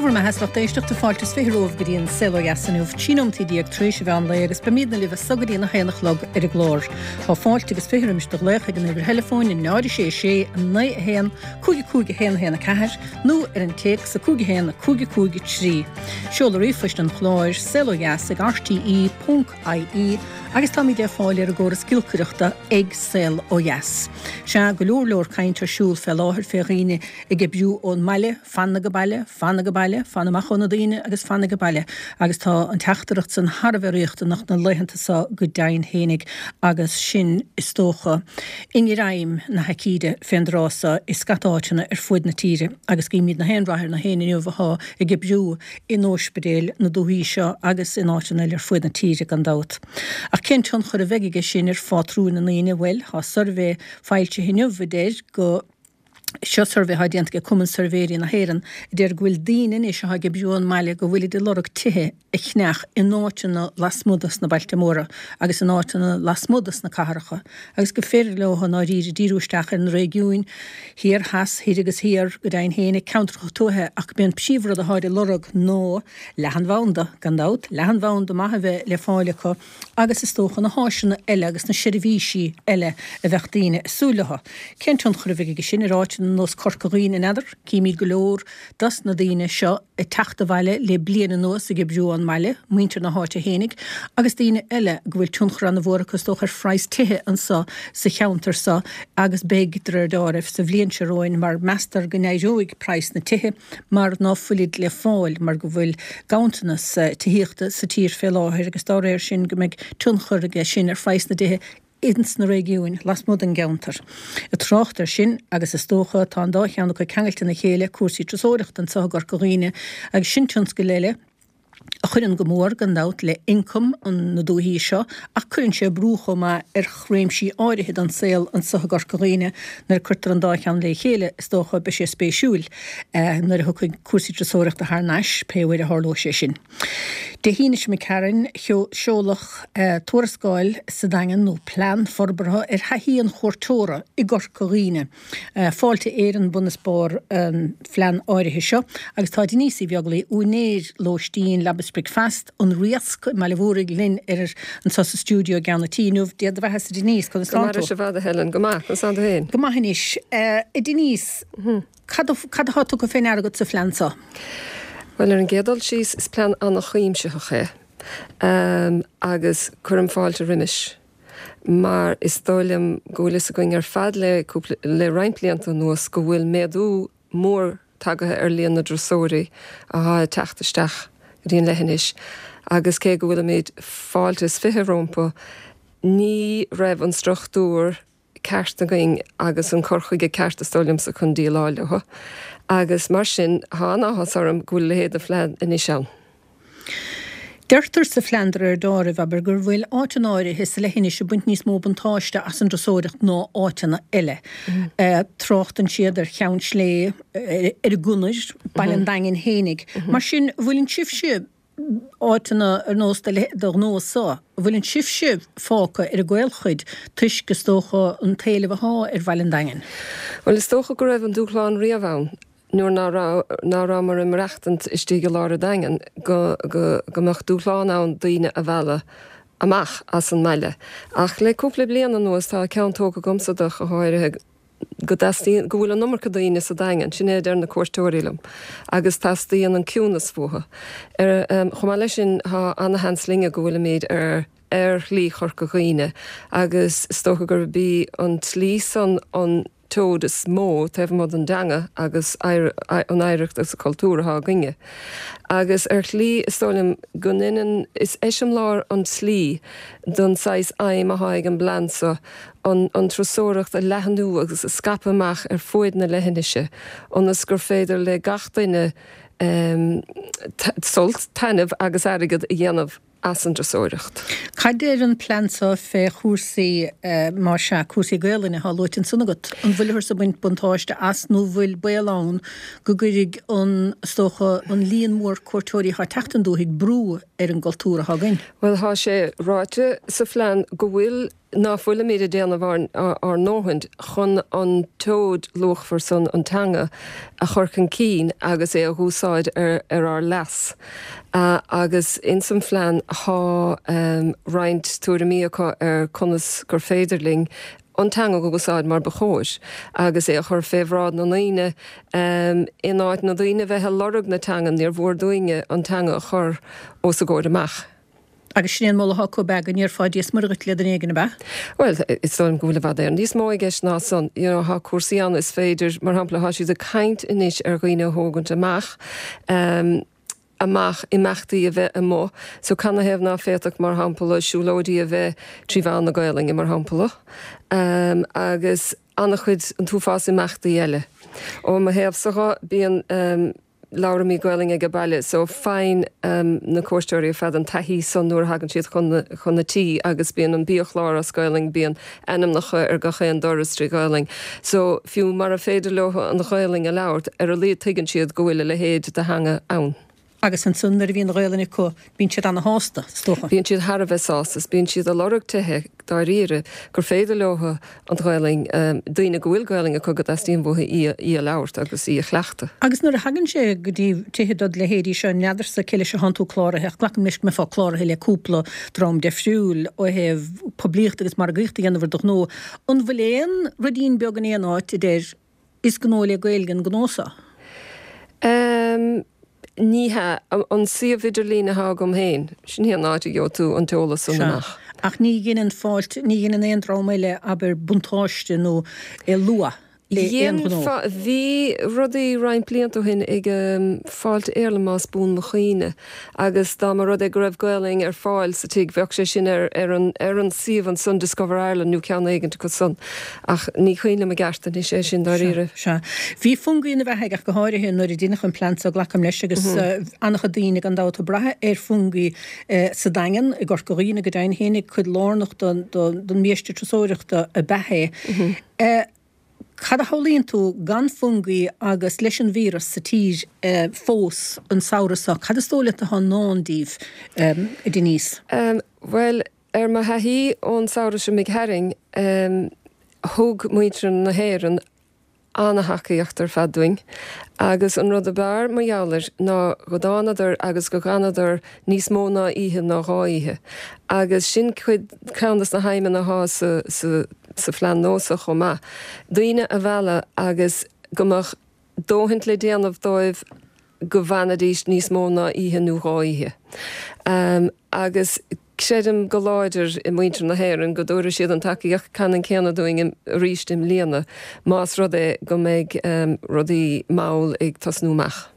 bhur mbeatha is lucht éisteachta, fáilte is 20 romhaibh go dtí an Saol Ó Dheas inniu, 13 nóimeataí tar éis an mheán lae agus beimídne libh as so go dtí an 1 a chlog ar an gclár. Tá fáilte agus 20 roimis do ghlaoch ag an uimhir theileafóin 0 6 6 9 1 5 5 1 1 4 nó ar an téacs 5 1 5 5 3. Seoladh ríomhphoist an chláir, saolodheas ag rte ponc ie agus táimid ar fáil ar an gcóras giolcaireachta ag Saol Ó Dheas. Sea, go leor leor caint ar siúl fé láthair fé dhaoine ag oibriú ón mbaile, fan age baile, fan age baile, fan amach ó na daoine agus fan age baile agus tá an teachtaireacht san thar a bheith riachtanach na laethanta so go deimhin fhéinig agus sinn, is dócha, i ngreim na haicíde fén dtráth so i scata áiteanna ar fuaid na tíre agus guímid na haon rath ar na héinne inniu athá ag oibriú in óispidéil na dúthaí seo agus in áiteanna eile ar fuaid na tíre gan dabht. Ach cén tionchar a bheidh aige sin ar phátrúin na ndaoine? Bhuel, thá suirbhé foilsithe inniu a deir go. Seo suirbhé atá déanta ag Cumann Suirbhéirí na hÉireann a deir go bhfuil daoine anois atá ag oibriú ón mbaile go bhfuilid ag lorg tithe a cheannach in áiteanna lasmuigh dos na bailte móra agus in áiteanna lasmuigh dos na cathracha agus gur féidir leo i ndáiríre díriú isteach ar na réigiúin thiar, theas, thoir agus thiar, go deimhin féin, ceantracha tuaithe ach b'é an príomhrud atáid ag lorg ná leathanbhanda, gan dabht, leathanbhanda maith a bheith le fáil acu. agus is dócha na háiseanna eile agus na seirbhísí eile a bheadh daoine ag súil leo. Cén tionchar a bheidh aige sin ar áiteanna ar nós Corca Dhuibhne, n'fheadar? Címid go leor dos na daoine seo ag teacht abhaile le bliain anuas ag oibriú ón mbaile, muintir na háite fhéinig, agus daoine eile go bhfuil tionchar ana-mhór acu is dócha ar phraghas tithe anso sa cheantar so agus beidh, de réir deáraimh, sa bhliain seo romhainn mar meastar go n-éireoidh praghas na tithe. mar ná fuilid le fáil mar go bhfuil ganntanas tithíochta sa tír fé láthair agus dá réir sin go mbeidh tionchar aige sin ar phraghas na dtithe ins na réigiúin lasmuigh den gceantar. Ag trácht air sin, agus is dócha tá an dá cheann acu ceangailte ina chéile, cúrsaí turasóireachta anso i gCorca Dhuibhne agus sin tionscal eile, a chuireann go mór, gan dabht, le ioncam na dúichí seo, ach cuireann sé brú chomh maith ar réimsí áirithe den saol anso i gCorca Dhuibhne. Nuair a cuirtear an dá cheann le chéile, is dócha, beidh sé spéisiúil nuair a thiocfaidh cúrsaí turasóireachta thar n-ais, pé uair a tharlóidh sé sin. Dé hAoine seo imigh tharainn, seoladh tuarascáil sa Daingean, nó plean forbartha, ar thaithí an chuairteora i gCorca Dhuibhne. Fáilte Éireann bun is barr an phlean áirithe seo agus tá Denise Uí Bheaglaoi, úinéir lóistín Leaba 's Bricfeast, An Riasc i mBaile Mhúraigh linn ar anso sa stiúideo i gceann an tí inniu. Dia do bheatha-sa Denise, conas tánn tú? Go maith, i bhfad a Helen, go maith, conas tánn tú féin? Go maith anois. A Denise, cad cad atá tugtha fé ndeara agat sa phlean so? Bhuel, ar an gcéad dul síos, is plean an-chuimsitheach é agus cuirim fáilte roimis. mar is dóigh liom go bhfuil fhios againn ar fad le cúpla, le roinnt blianta anuas go bhfuil méadú mór tagaithe ar líon na dturasóirí athá ag teacht isteach go dtí an leithinis agus cé go bhfuilimid fáilte is 20 rompu, ní raibh an struchtúr ceart againn agus an cur chuige ceart is dóigh liomsa chun déileáil leo agus mar sin tá an-áthas orm go bhfuil a leithéid de phlean anois ann. Deirtear sa phlean de réir deáraimh, abair, gur bhfuil áiteanna áirithe sa leithinis ag baint níos mó buntáiste as an dturasóireacht ná áiteanna eile. Tráchtann siad ar Cheann Sléibhe, ar an gConair, Baile an Daingin fhéinig. Mar sin, an bhfuileann sibhse, áiteanna ar nós do ghnó-sa, an bhfuileann sibhse fágtha ar an gcaolchuid toisc, is dócha, an t-éileamh athá ar Bhaile an Daingin? Bhuel, is dócha go raibh an dúshlán riamh ann. nuair ná raibh, ná rabhamar ag maireachtaint istigh i lár an Daingin, go, go, go mbeadh dúshlán ann daoine a mhealladh amach as an mbaile. Ach le cúpla bliain anuas tá ceann tógtha agamsa de, go háirithe, go dteastaíonn, go bhfuil an iomarca daoine sa Daingean, sin é a deir na cuairteoirí liom, agus teastaíonn an ciúnas uathu. Ar, chomh maith leis sin, tá ana-sheans linne go bhfuilimid ar, ar Shlí Chorca Dhuibhne agus is dócha gurb í an tslí san an tseoid is mó taobh amuigh den dteanga agus an oidhreacht agus an cultúr atá againne. Agus ar shlí is dóigh liom go ndeineann, is eiseamláir an tslí don saghas aidhm atá ag an bplean seo, an an turasóireacht a leathnú agus a scaipeadh amach ar fuaid na leithinise ionas gur féidir le gach duine sult, taitneamh agus airgead a dhéanamh as an dturasóireacht. Cad deir an plean seo fé chúrsaí, má sea, cúrsaí Gaelainne atá luaite ansan agat? An bhfuilthear ag baint buntáiste as nó bhfuil baol ann go gcuirfidh an, is dócha, an líon mór cuairteoirí atá ag teacht 'on dúthaigh brú ar an gcultúr atá againn? Bhuel, tá sé ráite sa phlean go bhfuil. Ná fuilimid ag déanamh ár ndóthain chun an tseoid luachmhar san, an teanga, a chur chun cinn agus é a dh'úsáid ar ár leas. Agus ins an phlean thá roinnt tuairimí acu ar conas gur féidir linn an teanga dh'úsáid mar ba chóir agus é a chur fé bhráid na ndaoine in áit na daoine bheith ag lorg na teangan, níor mhór dúinne an teanga a chur os a gcomhair amach. Agus sin é an moladh atá acu, ab ea, go ndéarfá Dia 's Muire dhuit le duine éigin, ab ea? Bhuel, is dóigh liom go bhfuil i bhfad Éireann níos mó i gceist ná san. You know, thá cúrsaí ann is féidir, mar shampla, thá siad ag caint anois ar dhaoine a thógaint amach, em, amach, imeachtaí a bheith amuigh. So canathaobh ná féadfadh, mar shampla, siúlóidí a bheith trí mheán na Gaolainne, mar shampla, em, agus an-chuid, an t-uafás imeachtaí eile. Ó mo thaobhsa dho, bíonn, em, Labhraímid Gaolainn age baile so faigheann na cuairteoirí ar fad an taithí san nuair a thagann siad chun chun na tí agus bíonn an biachlár as Gaolainn, bíonn ainmneacha ar gach aon doras trí Ghaolainn. So fiú mara féidir leo an Ghaolainn a labhairt, ar a laghad tuigeann siad go bhfuil a leithéid de theanga ann. Agus ansan nuair a bhíonn an Ghaolainn acu bíonn siad ana-shásta, is dócha. Bíonn siad thar a bheith sásta is bíonn siad ag lorg tithe dáiríre gur féidir leo an Ghaelainn, daoine go bhfuil Gaelainn acu go dteastaíonn uathu í í a labhairt agus í a chleachtadh. Agus nuair a thagann sé go dtí tithe dod leithéidí seo, n'fheadarsa cé leis atánn tú cláraithe ach glacaim leis go mbeifeá cláraithe le cúpla dream deifriúil ó thaobh poiblíocht agus margaíocht a dhéanamh ar do ghnó, an bhfuil aon ruidín beag in aon áit a deir Is gnó le Gaeilge an gnó seo. Em, ní hea. An suíomh idirlín atá agam féin, sin í an áit a gheobhaidh tú an t-eolas san Sea. amach. Ach ní dheineann Fáilte, ní dheineann aon dream eile, abair, buntáiste nó lua le aon Dhein, ghnó. bhí rudaí roinnt blianta ó shin ag Fáilte Éireann más buan mo chuimhne. Agus dá mba rud é go raibh Gaelainn ar fáil sa tigh, bheadh sé sin ar ar an ar an suíomh ansan, Discover Ireland nó ceann éigint acu san. Ach ní cuimhin liom i gceart anois é sin, dáiríre. Sea. Bhí Fungie ina bheathaidh ach go háirithe nuair a deineadh an plean so, glacaim leis, agus an-chuid daoine gan dabht ag brath ar Fungie sa Daingean, i gCorca Dhuibhne go deimhin féinig, cuid lárnach den biaiste turasóireachta ab ea é. Cad a shamhlaíonn tú gan Fungie agus leis an víreas sa tír fós an samhradh seo, cad is dóigh leat atá i ndán díbh, a Denise? Bhuel, ar mo thaithí ón samhradh seo imigh tharainn, thug muintir na hÉireann ana-thacaíocht ar fad dúinn agus an rud ab fhearr mar gheall air ná go dtánadar agus go dh'fhanadar níos mó ná oíche ná dhá oíche agus sin cuid, ceann des na haidhmeanna athá sa, sa, sa phlean nua so chomh maith, daoine a mhealladh agus go mbeadh dóthaint le déanamh dóibh go bhfanfaidís níos mó ná oíche nó dhá oíche. Agus creidim go láidir i muintir na hÉireann go dtabharfaidh siad an tacaíocht ceannann céanna dúinn arís i mbliana más rud é go mbeidh rudaí mall ag tosnú amach.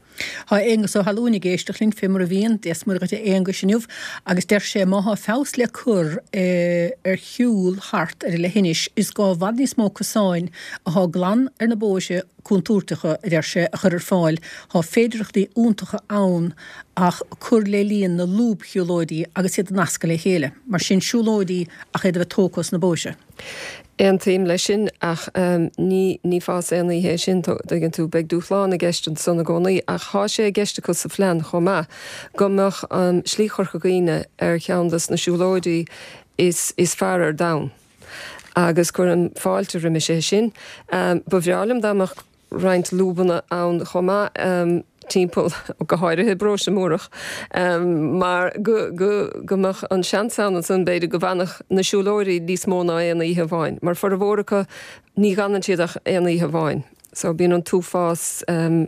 Tá Aonghus Ó hAlúin ag éisteacht linn, fé mar a bhíonn, Dia 's Muire dhuit a Aonghuis inniu, agus deir sé má thá feabhas le cur ar shiúl thart ar an leithinis, is gá i bhfad níos mó cosáin athá glan ar na bóithre contúirteacha, a deir sé, a chur ar fáil. Thá féidireachtaí iontacha ann ach cur le líon na lúbshiúlóidí agus iad a nascadh le chéile. Mar sin, siúlóidí ach iad a bheith tógtha os na bóithre. Aontaím leis sin ach ní ní fás aon oíche é sin, tuigeann tú. Beidh dúshlán i gceist ansan i gcónaí ach thá sé i gceist acu sa phlean chomh maith go mbeadh Slí Chorca Dhuibhne ar cheann dos na siúlóidí is is fearr ar domhan agus cuirim fáilte roimis é sin. Ba bhreá liom dá mbeadh roinnt lúbanna ann chomh maith timpeall, go háirithe i bParóiste Múrach, mar go, go, go mbeadh an seans ann ansan b'fhéidir go bhfanfadh na siúlóirí níos mó ná aon oíche amháin, mar formhór acu ní dh'fhanann siad ach aon oíche amháin. So bíonn an t-uafás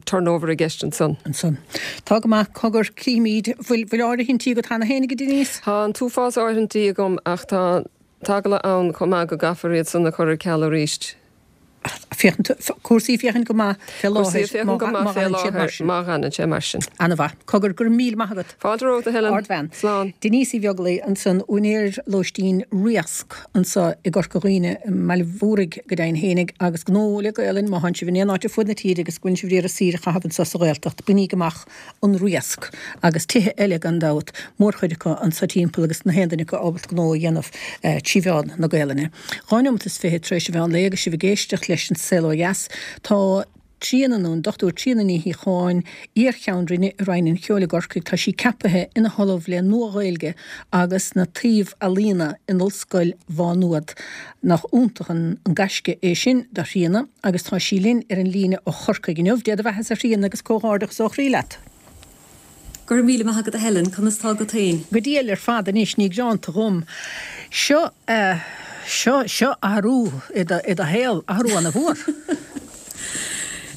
turnover i gceist ansan. Ansan. Tá go maith, cogar, cífimid. Bhfuil, bhfuil áirithintí agat cheana féin, a Denise? Tá an t-uafás áirithintí agam ach tá an t-eagla ann chomh maith go gcaithfear iad san a chur ar ceal arís. Féachann, cúrsaí ag féachaint go maith fé Cúrsaí ag láthair féachaint go maith fé láthair mar sin. Má dh'fhanann sé mar sin. Ana-mhaith. Cogar, go raibh míle maith agat. Fáilte romhat, a Helen. Ardbhean. Slán. Denise Uí Bheaglaoi ansan, úinéir lóistín Riasc anso i gCorca Dhuibhne, i mBaile Mhúraigh go deimhin fhéinig, agus gnó le Gaolainn, má thánn sibh in aon áit ar fuaid na tíre agus go bhfuileann sibh ag iarraidh saoire a chaitheamh anso sa Ghaeltacht, bainíg amach an Riasc agus tithe eile gan dabht, mórchuid acu anso timpeall agus na haon duine acu ábalta gnó a dhéanamh trí mheán na Gaolainne. 22 nóimeat tar éis an mheán lae agus sibh ag éisteacht leis An Saol Ó Dheas. Tá. Tríona, nó an Dr Tríona Ní Shíocháin, iar-Cheann Roinne i Roinn an Cheoil i gCorcaigh, tá sí ceapaithe ina hOllamh le Nua-Ghaeilge agus na Taibh-Ealaíona in Ollscoil Mhá Nuad. Nach iontach an gaisce é sin do Thríona agus tá sí linn ar an líne ó Chorcaigh inniu. Dé do bheathasa a Thríona agus comhghairdeachas ó chroí leat. Go raibh míle maith agat a Helen, conas tá agat féin? Go diail ar fad anois, ní gearánta dhom. Seo, seo, seo athrú i do, i do shaol, athrú ana mhór.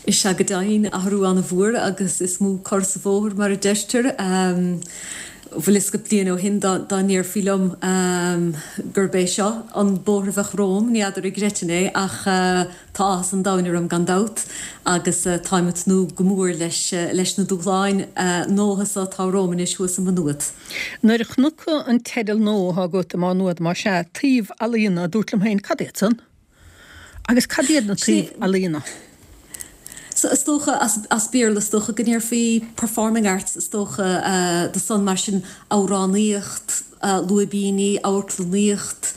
Is ea go deimhin, athrú ana mhór agus is mó cor sa bhóthar mar a deirtear. Bhfuil fhios agat bliain ó shin dá, dá ndéarfaí liom gurb é seo an bóthar a bheadh romham, ní fheadar an gcreidfinn é ach Tá áthas an domhain orm gan dabht agus táim ag tnúth go mór leis leis na dúshláin nua so atá romham anois thuas i Maigh Nuad. Nuair a chonac an teideal nua atá agat i Má Nuad, más ea, Taibh-Ealaíona, dúrt liom féin, cad iad san? Agus cad iad na taibh-ealaíona? So is dócha, as as Béarla is dócha go ndéarfaí performing arts is dócha do san mar sin amhránaíocht, lúibíní, amharclannaíocht,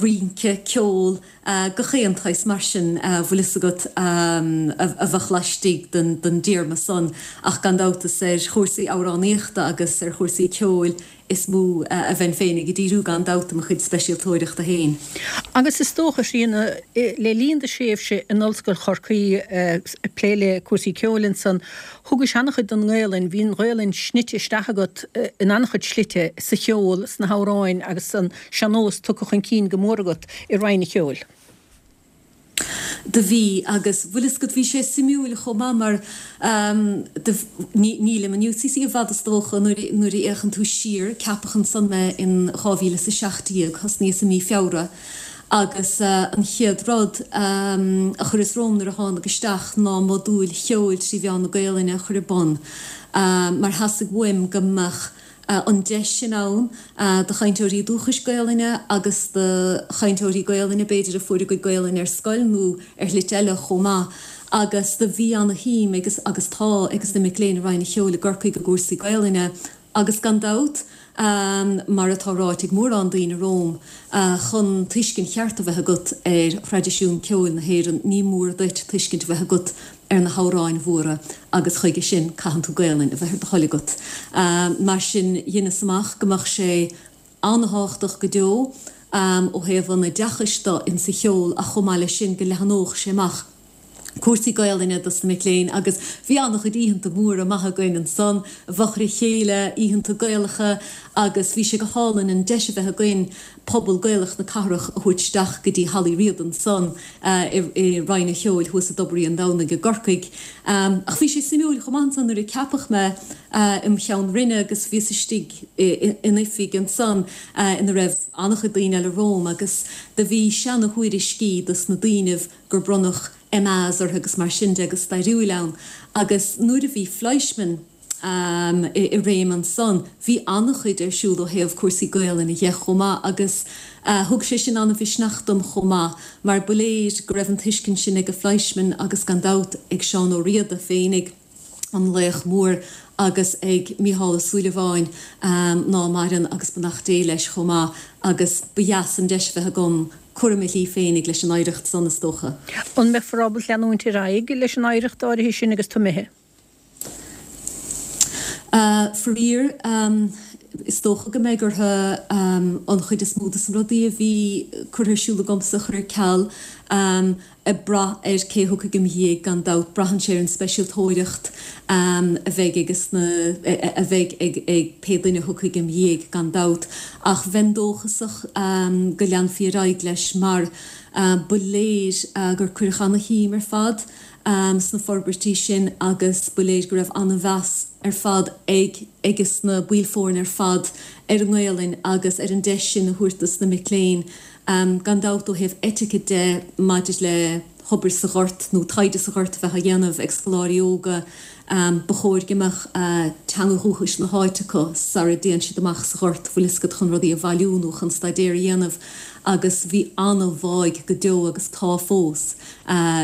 rince, ceol, Gach aon tsaghas mar sin, bhfuil fhios agat, a bheadh laistigh den dtéarma san, ach gan dabht is ar chúrsaí amhránaíochta agus ar chúrsaí ceoil is mó a bheinn féinig ag díriú gan dabht i mo chuid speisialtóireachta féin. Agus is dócha, a Thríona, le linn do thréimhse in Ollscoil Chorcaí ag plé le cúrsaí ceoil ansan, thugais an-chuid don nGaelainn, bhí an Ghaelainn snite isteach agat in an-chuid slite, sa cheol, sna hamhráin agus san sean-nós tugtha chun cinn go mór agat i Roinn an Cheoil. Do bhí, agus bhfuil fhios agat, bhí sé suimiúil chomh maith mar do, ní, nílim in UCC i bhfad is dócha nuair, nuair a fhéachann tú siar, ceapadh ansan mé in 2017, thosnaíos i mí Feabhra agus an chéad rud a chuireas romham nuair a thánag isteach ná modúil cheoil trí mheán na Gaolainne a chur ar bun mar theastaigh uaim go mbeadh an deis sin ann do chainteoirí dúchais Gaolainne agus do chainteoirí Gaolainne, b'fhéidir, a fuair a gcuid Gaolainne ar scoil nó ar shlite eile chomh maith. Agus do bhí ana-shuim agus, agus tá, ages na mic léinn i Roinn an Cheoil i gCorcaigh i gcúrsaí Gaolainne agus gan dabht, mar atá ráite ag mórán daoine romham, chun tuiscint cheart a bheith agat ar thraidisiún ceoil na hÉireann ní mór duit tuiscint a bheith agat ar na hamhráin mhóra agus chuige sin caitheann tú Gaelainn a bheith ar do thoil agat. Mar sin dheineas amach go mbeadh sé an-thábhachtach go deo ó thaobh an oideachais do insa cheol ach chomh maith leis sin go leathnódh sé amach cúrsaí Gaelainne dos na mic léinn agus bhí an-chuid oícheanta móra maithe againn ansan i bhfochair a chéile, oícheanta Gaelacha agus bhí sé go hálainn an deis a bheith againn pobal Gaelach na cathrach a thabhairt isteach go dtí Halla Uí Riada ansan i Roinn an Cheoil thuas i dTobar Uí Andomhnaigh i gCorcaigh. Ach bhí sé suimiúil chomh maith ansan nuair a ceapadh mé im cheann roinne agus bhíos istigh in oifig ansan ina raibh an-chuid daoine eile romham agus do bhí seana thuairiscí dos na daoinibh gur bronnadh MAs orthu agus mar sin de go stairiúil ann agus nuair a bhí Fleischmann i réim ansan. Bhí an-chuid ar siúl ó thaobh cúrsaí Gaolainne dhe chomh maith agus thug sé sin an-mhisneach dom chomh maith mar ba léir go raibh an tuiscint sin age Fleischmann agus gan dabht ag Seán Ó Riada féinig, an laoch mór, agus ag Mícheál Ó Súilleabháin ná maireann agus beannacht Dé leis chomh maith agus ba dheas an deis a bheith agam cur i mo shlí féinig leis an oidhreacht san is dócha. An mbeifear ábalta leanúint ar aghaidh leis an oidhreacht áirithe sin agus tú imithe? Faraor, is dócha go mbeidh orthu an chuid is mó de na rudaí a bhí curtha ar siúl agamsa a chur ar ceal, ag brath ar cé a thiocfaidh im dhiaidh gan dabht. Braitheann sé ar an speisialtóireacht a bheidh ages na, a bheidh ag pé duine a thiocfaidh im dhiaidh gan dabht. Ach bheinn dóchasach go leanfaí ar aghaidh leis mar ba léir gur cuireadh ana-shuim ar fad sna forbairtí sin agus ba léir go raibh an-mheas ar fad ag ages na baill foirne ar fad ar an nGaelainn agus ar an deis sin a thabhairt dos na mic léinn. Gan dabht ó thaobh eitice de maidir le hobair sa ghort nó taighde sa ghort a bheith á dhéanamh ag scoláirí óga, ba chóir go mbeadh teanga dhúchais na háite acu sara dtéann siad amach sa ghort, bhfuil fhios agat, chun rudaí a bhailiú nó chun staidéar a dhéanamh agus bhí an-bháidh go deo agus tá fós.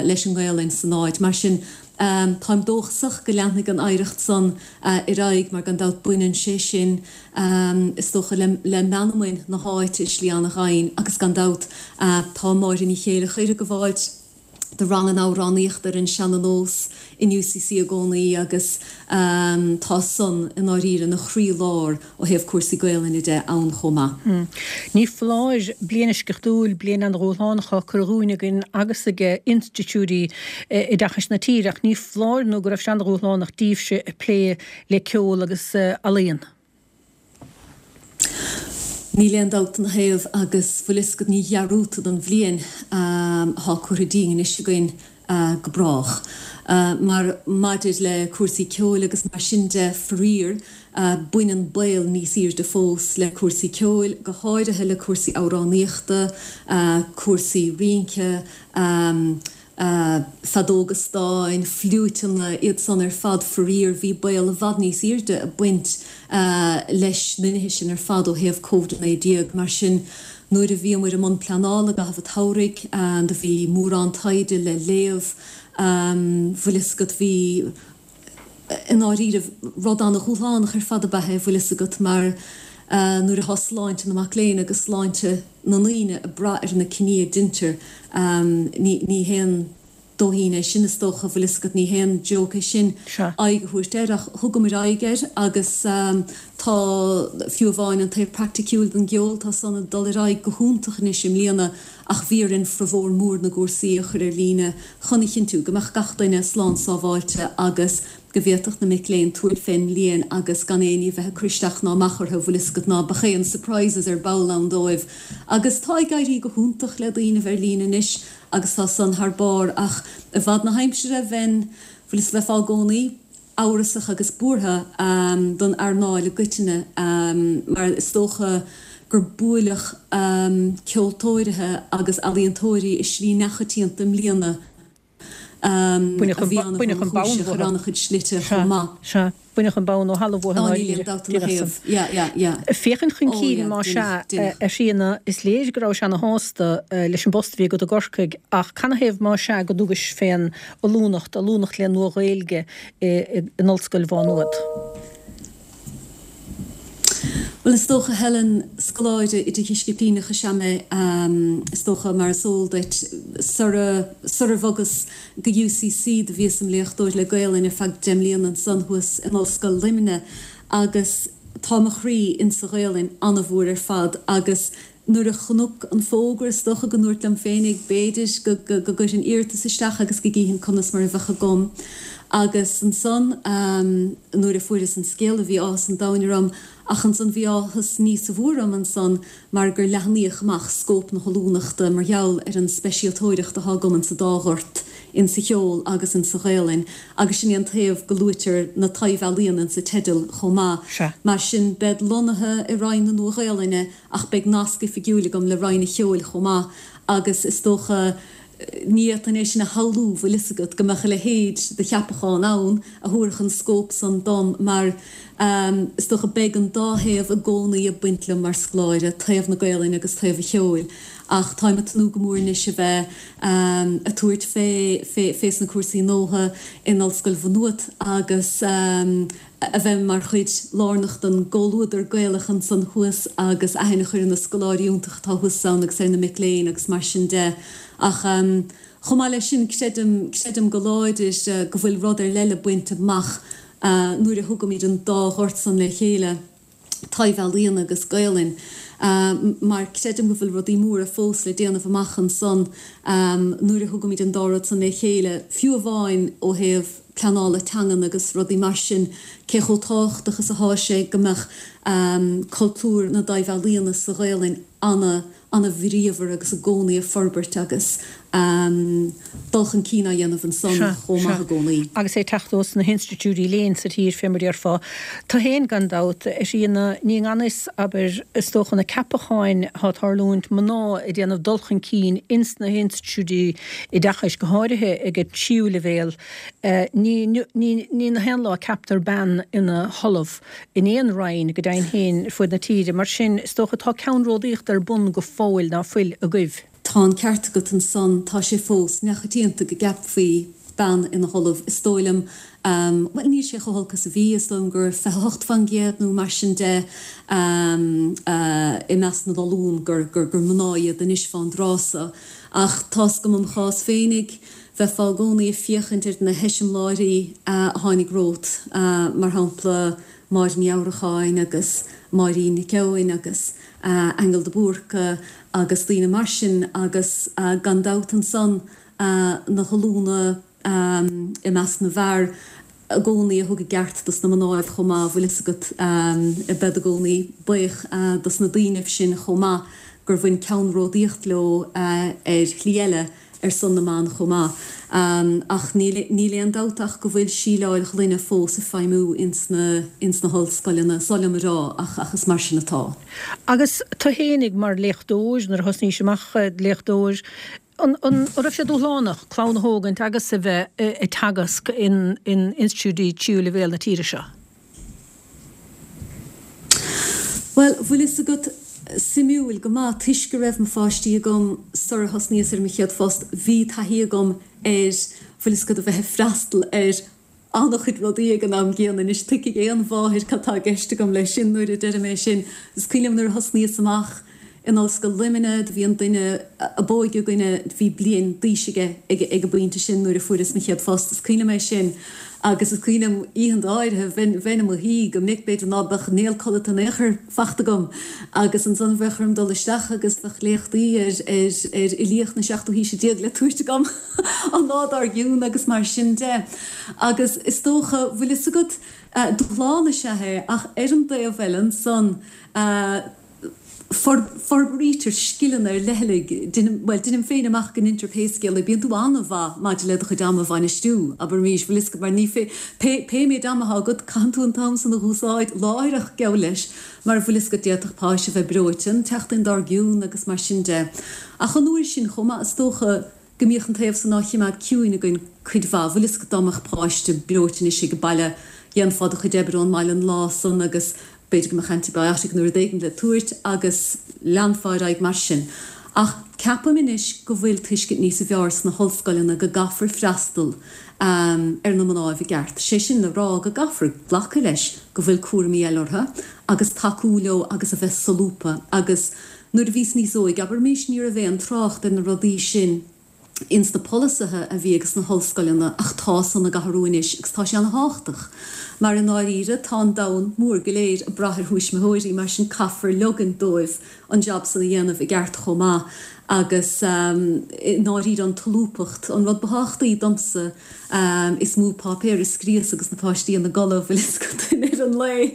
leis an nGaelainn san áit. Mar sin, táim dóchasach go leanfaidh an oidhreacht san ar aghaidh mar gan dabht baineann sé sin, is dócha, le meanmain na háite i slí an-ghainn agus gan dabht tá Máire Ní Chéileachair ag gabháilt. Do ranganna amhránaíochta ar an seana-nós in UCC i gcónaí agus tá san i ndáiríre ina chroí-lár ó thaobh cúrsaí Gaolainne de ann chomh maith. Ní foláir, bliain eisceachtúil, bliain an-dhúshlánach á cur dhúinn againn agus ag institiúidí oideachais na tíre ach ní foláir nó go raibh sé an-dhúshlánach díbhse ag plé le ceol agus ealaíon. Níl aon dabht ina thaobh agus bhfuil fhios agat ní dhearúdfad an bhliain athá curtha dínn anois againn go brách. Mar maidir le cúrsaí ceoil agus mar sin de, faraor, baineann baol níos aoirde fós le cúrsaí ceoil, go háirithe le cúrsaí amhránaíochta, cúrsaí rince, feadóga stáin, fliúiteanna, iad san ar fad, faraor, bhí baol i bhfad níos aoirde ag baint leis na nithe sin ar fad ó thaobh Covid-19. Mar sin, nuair a bhíomair i mbun pleanála i gcaitheamh an tsamhraidh, do bhí mórán taighde le léamh, bhfuil fhios agat, bhí, i ndáiríribh, rud ana-dhúshlánach ar fad ab ea é, bhfuil fhios agat, mar nuair atá sláinte na mac léinn agus sláinte na ndaoine ag brath ar na cinní a deintear, ní haon dóithín é sin, is dócha, bhfuil fhios agat, ní haon joke é sin aghaidh a thabhairt air, ach thugamair aghaidh air agus tá, fiú amháin an taobh praiticiúil den gceol, tá san ag dul ar aghaidh go hiontach anois i mbliana. Ach bhí orainn formhór mór na gcúrsaí a chur ar líne chun a chinntiú go mbeadh gach duine slán sábháilte agus go bhféadfadh na mic léinn tabhairt fén mbliain agus gan éinne a bheith ag cur isteach ná amach orthu, bhfuil fhios agat, ná beadh aon surprises ar ball ann dóibh. Agus tá ag éirí go hiontach le daoine ar líne anois agus tá san thar barr ach i bhfad na haimsire bheinn, bhfuil fhios, bheifeá i gcónaí. amhrasach agus buartha don earnáil i gcoitinne mar is dócha gur buaileadh ceoltóirithe agus ealaíontóirí i slí neachoitianta i mbliana a bhí an-thromchúiseach ar an-chuid slite chomh maith. Sea, baineadh an bonn ó thalamh uathu i ndáiríre. Níl aon dabht ina thaobh. Yeah, yeah, yeah. Féachaint chun cinn más ea, a Thríona, is léir go rabhais ana-shásta leis an bpost a bhí agat i gCorcaigh ach canathaobh más ea go dtugais fén ollúnacht, ollúnacht le Nua-Ghaeilge in Ollscoil Mhá Nuad. Bhuel, is dócha, Helen, scoláire idirdhisciplíneach is ea mé, is dócha, mar is eol duit. Sara, surar bhogas go UCC do bhíos im léachtóir le Gaelainn ar feadh deich mbliana ansan thuas in Ollscoil Luimnigh agus tá mo chroí insa Ghaelainn ana-mhór ar fad agus Nuair a chonac an fógra, is dócha go ndúrt liom féinig, b'fhéidir go gcuirfinn iarratas isteach agus go gcífinn conas mar a bheadh agam. Agus ansan, nuair a fuaireas an scéala, bhí áthas an domhain orm, ach ansan bhí áthas níosa mhó orm ansan mar gur leathnaíodh amach scóip na hollúnachta mar gheall ar an speisialtóireacht athá agam insa dá ghort, insa cheol agus insa Ghaelainn, agus sin é an taobh go luaitear na taibh-ealaíona insa teideal chomh maith. Mar sin, bead lonnaithe i Roinn na Nua-Ghaelainne, Ach beidh nasc oifigiúil agam le Roinn an Cheoil chomh maith agus is dócha, ní fhéadfainn é sin a shamhlú, bhfuil fhios agat, go mbeadh a leithéid de cheapachán ann a thabharfadh an scóip san dom mar is dócha beidh an dá thaobh i gcónaí ag baint liom mar scoláire, taobh na Gaelainne agus taobh an cheoil. Ach táim ag tnúth go mór anois a bheith ag tabhairt fé, fé, fés na cúrsaí nuadha in Ollscoil Mhá Nuad agus. a bheith mar chuid lárnach den gcomhluadar Gaelach ansan thuas agus aithne a chur ar na scoláirí iontacha atá thuas ann agus ar na mic léinn agus mar sin de. Ach chomh maith leis sin, creidim, creidim go láidir go bhfuil rud ar leith le baint amach nuair a thugaimid an dá ghort san le chéile, taibh-ealaíona agus Gaelainn, mar creidim go bhfuil rudaí móra fós le déanamh amach ansan nuair a thugaimid an dá rud san le chéile, fiú amháin ó thaobh pleanála teangan agus rudaí mar sin, cé chomh tábhachtach is athá sé go mbeadh cultúr na dtaibh-ealaíona sa Ghaelainn ana, ana-bhríomhar agus i gcónaí ag forbairt agus dul chun cinn á dhéanamh ansan chomh maith i gcónaí. Agus é ag teacht ós na hinstitiúidí léinn sa tír, fé mar déarfá. Tú féin, gan dabht, a Thríona, ní i ngan fhios, abair, is dócha, na ceapacháin atá ag tarlúint, mná ag déanamh dul chun cinn ins na hinstitiúidí oideachais, go háirithe ag an tríú leibhéal. Ní, ní, ní na haon lá a ceaptar bean ina hollamh in aon roinn, go deimhin féin, ar fuaid na tíre. Mar sin, is dócha, tá ceannródaíocht ar bun go fóill, ná fuil agaibh? Tá an ceart agat ansan, tá sé fós neachoitianta go gceapfaí bean ina hollamh. Is dóigh liom, bhuel, níl sé chomh holc is a bhí, is dóigh liom gur 28% nó mar sin de i measc na n-ollún gur, gur, gur mná iad anois fán dtráth so. Ach tá's agam im chás féinig, bheifeá i gcónaí ag féachaint ar na heiseamláirí a tháinig romhat, mar shampla Máire Ní Annracháin agus Máirín Nic Eoin agus Aingeal de Búrca agus daoine mar sin agus gan dabht ansan na hollúna i measc na bhfear i gcónaí a thug a gceart dos na mnáibh chomh maith, bhfuil fhios agat, bead i gcónaí buíoch dos na daoinibh sin chomh maith gur bhain ceannródaíocht leo ar shlí eile ar son na mban chomh maith. Ach níl níl aon dabht ach go bhfuil síleáil ghloine fós ag feidhmiú ins na ins na hollscoileanna, is oth liom a rá ach ach is mar sin atá. Agus tú fhéinig mar léachtóir, nuair a thosnaís amach léachtóir, An raibh sé dúshlánach clann a thógaint agus a bheith ag teagasc in institiúidí tríú leibhéal na tíre seo? Bhuel, bhfuil fhios agat, suimiúil go maith, toisc go raibh mo pháistí agam sar a thosnaíos ar mo chéad phost, bhí taithí agam ar, bhfuil fhios agat, a bheith ag freastal ar an-chuid rudaí ag an am gcéanna. Anois, tuigfidh aon mháthair cad tá i gceist agam leis sin nuair a deirim é sin. Is cuimhin liom nuair a thosnaíos amach in Ollscoil Luimnigh, do bhí an duine ab óige againne, bhí bliain d'aois aige ag an bpointe sin nuair a fuaireas mo chéad phost. Is cuimhin liom é sin agus is cuimhin liom oícheanta áirithe, bheinn, bheinn i mo shuí go minic, b'fhéidir ná beadh néal codlata in aon chor fachta agam agus ansan bheadh orm dul isteach agus bheadh léachtaí ar, ar, ar fhilíocht na seachtú haoise déag le tabhairt agam. an lá dár gcionn agus mar sin de. Agus is dócha, bhfuil fhios agat, dúshlán is ea é ach ar an dtaobh eile ansan, forbraítear scileanna ar leithligh, bhuel, deinim féin amach go ndeintear pé scéal é, bíonn tú an-mhaith maidir le do chuid ama a bhainistiú, abraimis, bhfuil fhios agat, mar ní fé, pé méid ama atá agat, caitheann tú an t-am san a dh'úsáid láithreach, geall leis, mar bhfuil fhios agat, d'fhéadfadh páiste a bheith breoite an tseachtain dár gcionn agus mar sin de. Ach an uair sin chomh maith, is dócha go mbíodh an taobh san á chimeád ciúin againn cuid mhaith. Bhfuil fhios agat dá mbeadh páiste breoite anois ag baile, dhéanfá do chuid oibre ón mbaile an lá san agus b'fhéidir go mbeadh antibiotic nó rud éigin le tabhairt agus leanfá ar aghaidh mar sin. Ach ceapaim anois go bhfuil tuiscint níosa bhfearr sna hollscoileanna go gcaithfear freastal ar na mnáibh i gceart. Sé sin le rá go gcaithfear glacadh leis go bhfuil cúraimí eile orthu agus tacú leo agus a bheith solúbtha agus Nuair a bhíos níos óige, abraimis, ní raibh aon trácht ar na rudaí sin ins na polasaithe a bhí ages na hollscoileanna ach tá san ag athrú anois agus tá sé ana-thábhachtach mar i ndáiríre tá an domhan mór go léir ag brath ar thuismitheoirí mar sin caithfear leogaint dóibh an jab san a dhéanamh i gceart chomh maith agus i ndáiríre an tsolúbthacht an rud ba thábhachtaí domsa. Is mó páipéar a scríos agus na páistí ina gcodladh, bhfuil fhios agat, ar an lae,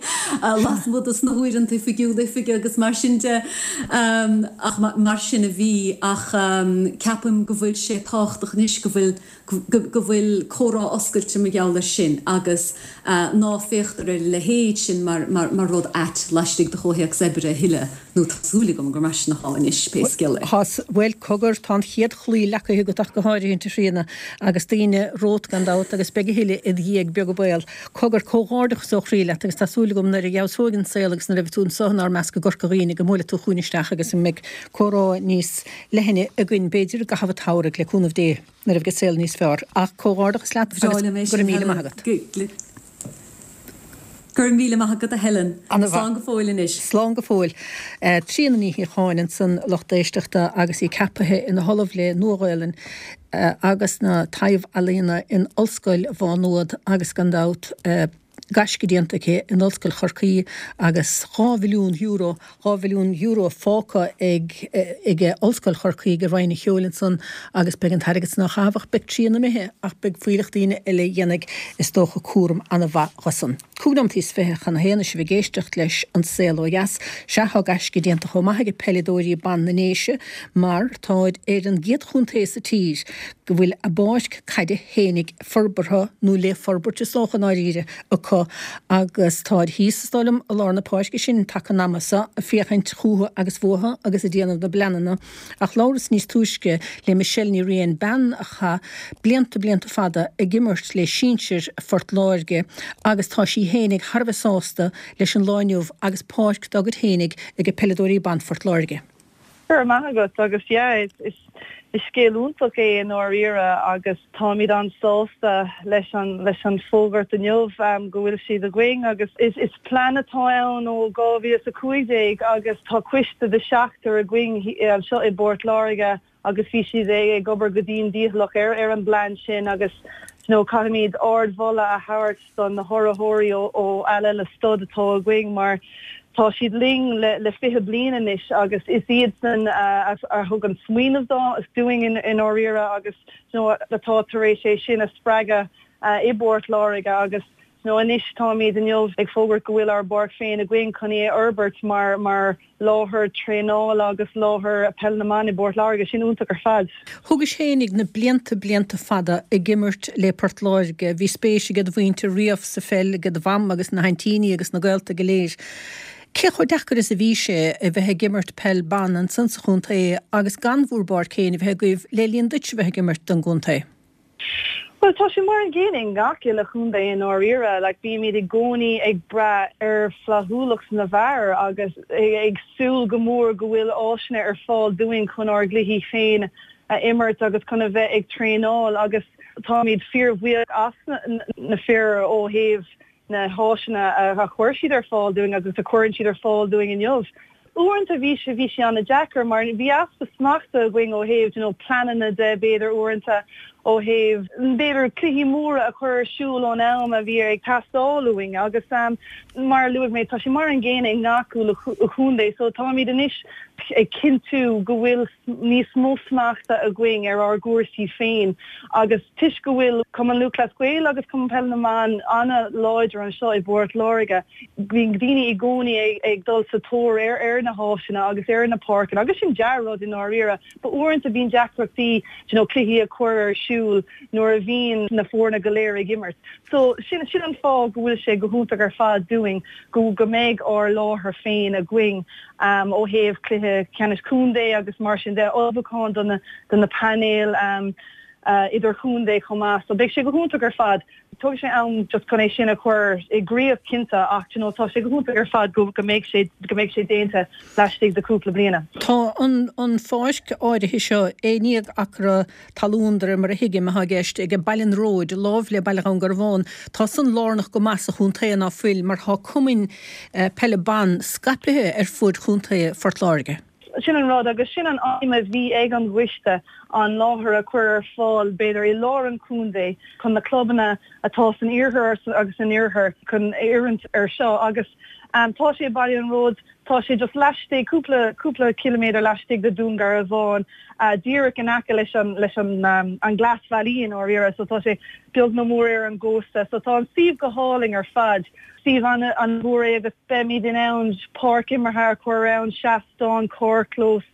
lasmuigh dos na huaireanta oifigiúla oifige agus mar sin de. Ach mar sin a bhí. Ach ceapaim go bhfuil sé tábhachtach anois go bhfuil, go bhfuil comhrá oscailte mar gheall air sin agus ná féachtar ar a leithéid sin mar, mar rud ait laistigh de chomhthéacs oibre a thuilleadh, nó tá súil agam gur mar sin atá anois, pé scéal é. Tá, bhuel, cogar, tá an chéad chlaí leagtha agat ach go háirithint, a Thríona, agus daoine romhat gan dabht, agus beidh a thuilleadh id dhiaidh, beag an baol. Cogar, comhghairdeachas ó chroí leat agus tá súil agam nuair a fheabhsóidh an saol agus nuair a bheidh tú anso inár measc i gCorca Dhuibhne go mbuailfidh tú chugainn isteach agus go mbeidh comhrá níos leithne againn, b'fhéidir, i gcaitheamh an tsamhraidh, le cúnamh Dé, nuair a bheidh an saol níos fearr. Ach comhghairdeachas leat agus go raibh míle maith agat. Go raibh míle maith agat a Helen. Slán go fóill anois. Slán go fóill. Tríona Ní Shíocháin ansan, lucht éisteachta, agus í ceapaithe ina hOllamh le Nua-Ghaelainn agus na Taibh-Ealaíona in Ollscoil Mhá Nuad agus gan dabht, gaisce déanta aici in Ollscoil Chorcaí agus €2 mhilliún, €2 mhilliún fágtha ag ag Ollscoil Chorcaí ag Roinn an Cheoil ansan agus beidh an t-airgead san á chaitheamh ach beidh Tríona imithe ach beidh fuílleach daoine eile a dhéanfaidh is dócha cúram ana-mhaith dho san. 25 nóimeataí chun a haon is sibh ag éisteacht leis An Saol Ó Dheas. Sea, tá gaisce déanta chomh maith ag peileadóirí ban na nDéise mar táid ar an gcéad chontae sa tír go bhfuil a bpáirc caide fhéinig forbartha, nó le forbairt is dócha i ndáiríre, acu agus táid thíos, is dóigh liom, i lár na páirce sin taca an ama so, ag féachaint chúthu agus fúthu agus ag déanamh na bpleananna. Ach labhras níos túisce le Michelle Ní Riain, bean a chaith blianta, blianta fada ag imirt le sinsir Phort Láirge agus tá sí fhéinig thar a bheith sásta leis an lá inniu agus páirc dá gcuid fhéinig ag peileadóirí ban Phort Láirge. Go raibh maith agat agus yeah is is scéal iontach é i ndáiríre agus táimid an-sásta leis an leis an fógairt inniu go bhfuil siad againn agus is is plean atá ann ó 2015 agus tá coiste de sheachtar againn anseo i bPort Láirge. agus bhí siad ag obair go dian dícheallach ar ar an bplean sin agus you know caithfimid ardmholadh a thabhairt do na hurraitheoirí ó Alella Stud atá againn mar tá siad linn le le 20 bliain anois agus is iadsan a a thug an smaoineamh dúinn i ndáiríre agus you know atá tar éis é sin a spreagadh i bPort Láirge agus you know anois táimid inniu ag fógairt go bhfuil ár bpáirc féin againn chun í a fhorbairt mar mar láthair traenála agus láthair peil na mban i bPort Láirge. Sin iontach ar fad. Thógais fhéinig na blianta blianta fada ag imirt le Port Láirge. Bhí spéis ag do mhuintir riamh sa pheil, ag do mham agus na haintíní agus na gaolta go léir. Cé chomh deacair is a bhí sé a bheith ag imirt peil ban ansan sa chontae agus gan bhúr bpáirc féin a bheith agaibh le linn duit a bheith ag imirt don gcontae? Bhuel, tá sé mar an gcéanna i ngach uile chontae i ndáiríre. Like, bímid i gcónaí ag brath ar flaithiúlacht na bhfear agus ag súil go mór go bhfuil áiseanna ar fáil dúinn chun ár gcluichí féin a imirt agus chun a bheith ag traenáil agus táimid fíorbhuíoch as na fir ó thaobh na háiseanna a chuir siad ar fáil dúinn agus a chuireann siad ar fáil dúinn inniu. Uaireanta bhí sé, bhí sé an-deacair mar bhí easpa smachta againn ó thaobh, you know, pleananna de b'fhéidir uaireanta, ó thaobh b'fhéidir cluichí móra a chur ar siúl ón am a bhí ag teastáil uainn agus mar a luaigh mé tá sé mar an gcéanna i ngach uile chontae so táimid anois ag cinntiú go bhfuil níos mó smachta againn ar ár gcúrsaí féin agus toisc go bhfuil Cumann Lúthchleas Gael agus Cumann Peile na mBan an-láidir anseo i bPort Láirge, bíonn daoine i gcónaí ag dul sa tóir ar na háiseanna agus ar na páirceanna agus sin dea-rud i ndáiríre but uaireanta bíonn deacrachtaí you know cluichí a chur ar siúl nuair a bhíonn na foirne go léir ag imirt. So sin sin an fáth go bhfuil sé go hiontach ar fad dúinn go go mbeidh ár láthair féin againn. ó thaobh cluiche ceannais contae agus mar sin de, ullmhúchán do na do na painéil idirchontae chomh maith. So beidh sé go hiontach ar fad. Tógfaidh sé am just chun é sin a chur i gcrích cinnte ach you know tá sé go hiontach ar fad go go mbeidh sé go mbeidh sé déanta laistigh de cúpla bliana. Tá an an pháirc áirithe seo 11 acra talún, de réir mar a thuigim, atá i gceist ag Baile an Róid, láimh le Baile Dhún Garbhán. Tá san lárnach go maith sa chontae, ná fuil, mar tá cumainn peile ban scaipthe ar fuaid chontae Phort Láirge. Sin an rud, agus sin an aidhm a bhí ag an gcoiste, an láthair a chur ar fáil, b'fhéidir, i lár an chontae chun na clubanna atá san iarthar agus san oirthear chun oiriúint air seo. Agus tá sé i Baile an Róid, Tá sé just laistigh, cúpla, cúpla ciliméadar laistigh de Dún Garbhán, díreach in aice leis an, leis an, an Glasbhealaí i ndáiríre, so tá sé beag nó mór ar an gcósta. So tá an suíomh go hálainn ar fad. Suíomh an-mhór é agus beimid in ann páirc imeartha a chur ann, seastán, carrchlós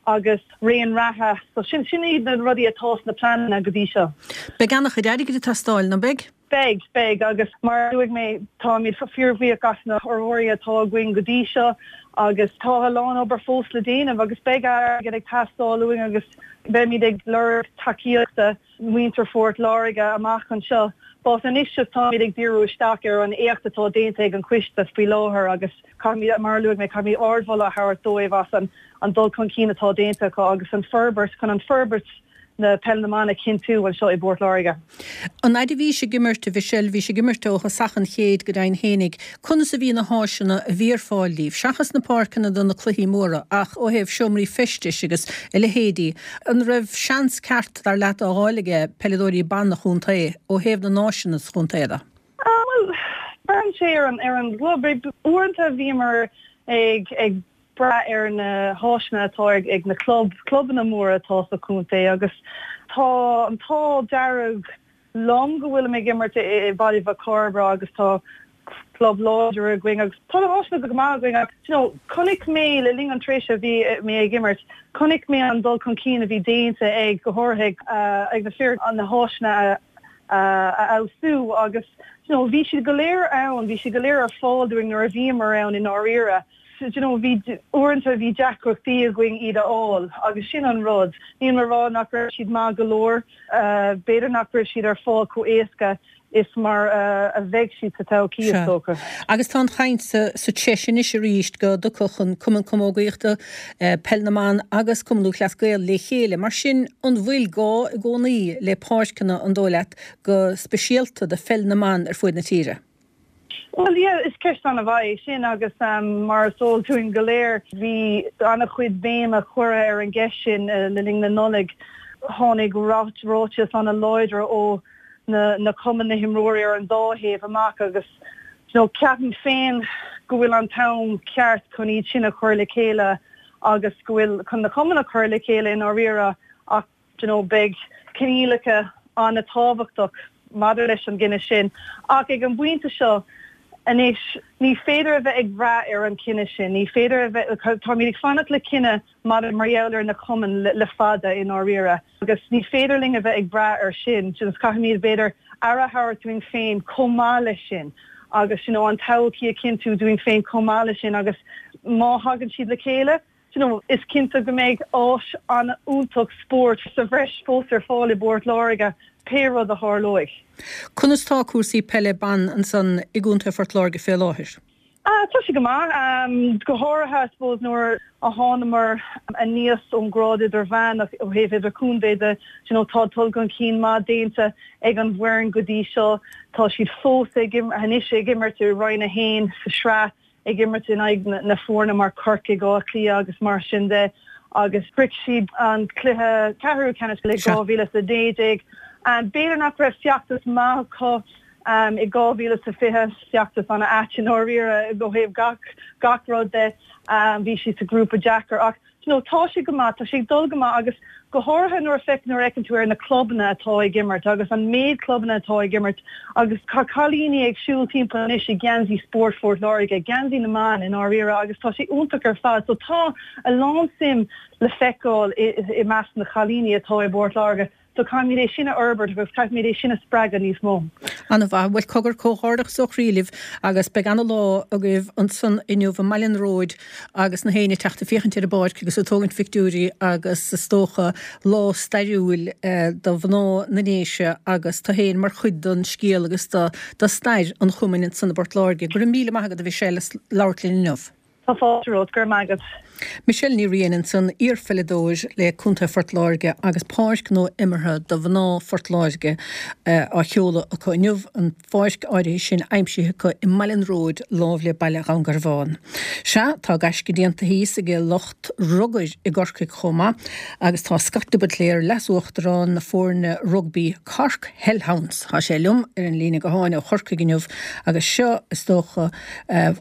agus raon reatha. So sin, sin iad na rudaí atá sna pleananna go dtí seo. Beidh an-chuid airgid ag teastáil, ná beidh? Beidh, beidh, agus mar a luaigh mé, táimid fíorbhuíoch as na hurraitheoirí atá againn go dtí seo agus tá a lán obair fós le déanamh agus beidh airgead ag teastáil uainn agus beimid ag lorg tacaíochta mhuintir Phort Láirge amach anseo. But anois just táimid ag díriú isteach ar an éacht atá déanta ag an choiste faoi láthair agus caithfimid, mar a luaigh mé, caithfimid ardmholadh a thabhairt dóibh as an dul chun cinn atá déanta acu agus an forbairt, chun an forbairt na Peile na mBan a chinntiú anseo i bPort Láirge. An fhaid a bhís ag imirt, a Mhichelle, bhís ag imirt ó thosach an chéid go deimhin fhéinig, conas a bhí na háiseanna a bhí ar fáil daoibh, seachas na páirceanna do na cluichí móra, ach ó thaobh seomraí feistis agus a leithéidí, an raibh seans ceart, dar leat, á fháil aige peileadóirí ban an chontae ó thaobh na n-áiseanna sa chontae de? Bhuel, braitheann sé ar an ar an gclub. Uaireanta bhíomar ag ag brath ar na háiseanna atá ag na club, clubanna móra atá sa chontae agus tá an t-ádh dearg liom go bhfuilim ag imirt i Baile Mhic Cairbre agus tá club láidir againn agus tá na háiseanna go maith againn ach you know chonaic mé le linn an tréimhse a bhí mé ag imirt, chonaic mé an dul chun cinn a bhí déanta ag, go háirithe ag na fir, na háiseanna a a fheabhsú agus you know bhí siad go léir ann, bhí siad go léir ar fáil dúinn nuair a bhíomar ann i ndáiríre. Do you know bhí, uaireanta bhí deacrachtaí againn iad a fháil agus sin an rud. Níl mé ag rá nach raibh siad maith go leor, b'fhéidir nach raibh siad ar fáil chomh éasca is mar a bheidh siad sa todhchaí, is dócha. Agus tá an chaint sa treis anois arís go dtiocfadh an Cumann Camógaíochta, Peil na mBan agus Cumann Lúthchleas Gael le chéile. Mar sin, an bhfuil gá i gcónaí le páirceanna, an dóigh leat, go speisialta do pheil na mban ar fuaid na tíre? Bhuel, yeah, is ceist an-mhaith é sin agus mar is eol dúinn go léir, bhí an-chuid béime curtha ar an gceist sin le linn na Nollag. Tháinig ráiteas an-láidir ó na cumainn, na himreoirí ar an dá thaobh amach agus you know, ceapaim féin go bhfuil an t-am ceart chun iad sin a chur le chéile agus go bhfuil chun na cumainn a chur le chéile i ndáiríre ach you know, beidh coinníollacha an-tábhachtach maidir leis an gcinneadh sin. Ach ag an bpointe seo anois, ní féidir a bheith ag brath ar an chinneadh sin. Ní féidir a bheith, táimid ag fanacht le cinneadh maidir mar gheall ar na cumainn le fada i ndáiríre agus ní féidir linn a bheith ag brath air sin. You know, caithfimid b'fhéidir aire a thabhairt dúinn féin chomh maith leis sin agus you know, an todhchaí a chinntiú dúinn féin chomh maith leis sin agus má thagann siad le chéile, you know, is cinnte go mbeidh áis an-iontach spóirt sa bhreis fós ar fáil i bPort Láirge, pé rud a tharlóidh. Conas tá cúrsaí peile ban ansan i gContae Phort Láirge fé láthair? Ah, tá sé go maith. Go háirithe, I suppose, nuair a thánamar aníos ón grád idirmheánach ó thaobh idirchontae de, you know, tá dul chun cinn maith déanta ag an bhfoireann go dtí seo. Tá siad fós ag, anois ag imirt i Roinn 1 sa sraith. ag imirt in aghaidh na foirne mar Corcaigh, Áth Cliath agus mar sin de agus shroich siad an cluiche ceathrú ceannais i 2019. B'fhéidir nach raibh feachtas maith acu i 2020, feachtas an-ait i ndáiríre ó thaobh gach gach rud de. Bhí siad sa ghrúpa deacair ach you know tá sé go maith, tá sé ag dul go maith agus go háirithe nuair a feic, nuair a fheiceann tú ar na clubanna atá ag imirt agus an méid clubanna atá ag imirt agus tá cailíní ag siúl timpeall anois i geansaí spóirt Phort Láirge, geansaí na mban i ndáiríre agus tá sé iontach ar fad. So tá a lán suim le feiceáil i, i measc na chailíní atá i bPort Láirge. So caithfimid é sin a fhorbairt agus caithfimid é sin a spreagadh níos mó. An-mhaith. Bhuel, cogar, comhghairdeachas ó chroí libh agus beidh ana-lá agaibh ansan inniu i mBaile an Róid agus na héinne ag teacht ag féachaint ar an bpáirc agus ag tógaint phictiúirí agus is dócha lá stairiúil do mhná na nDéise agus tú féin mar chuid den scéal agus do stair an chumainn ansan i bPort Láirge. Go raibh míle maith agat a Mhichelle as labhairt linn inniu. Tá fáilte romhat, go raibh maith agat. Michelle Ní Riain ansan, iar-pheileadóir le Contae Phort Láirge agus páirc nua imeartha do mhná Phort Láirge á sheoladh acu inniu, an pháirc áirithe sin aimsithe acu i mBaile an Róid láimh le Baile Dhún Garbhán. Sea, tá gaisce déanta thíos ag lucht rugair i gCorcaigh chomh maith agus tá Scott de Buitléar, Leas-Uachtarán na foirne rugbaí Cork Hellhounds, tá sé liom ar an líne gutháin ó Chorcaigh inniu agus seo, is dócha,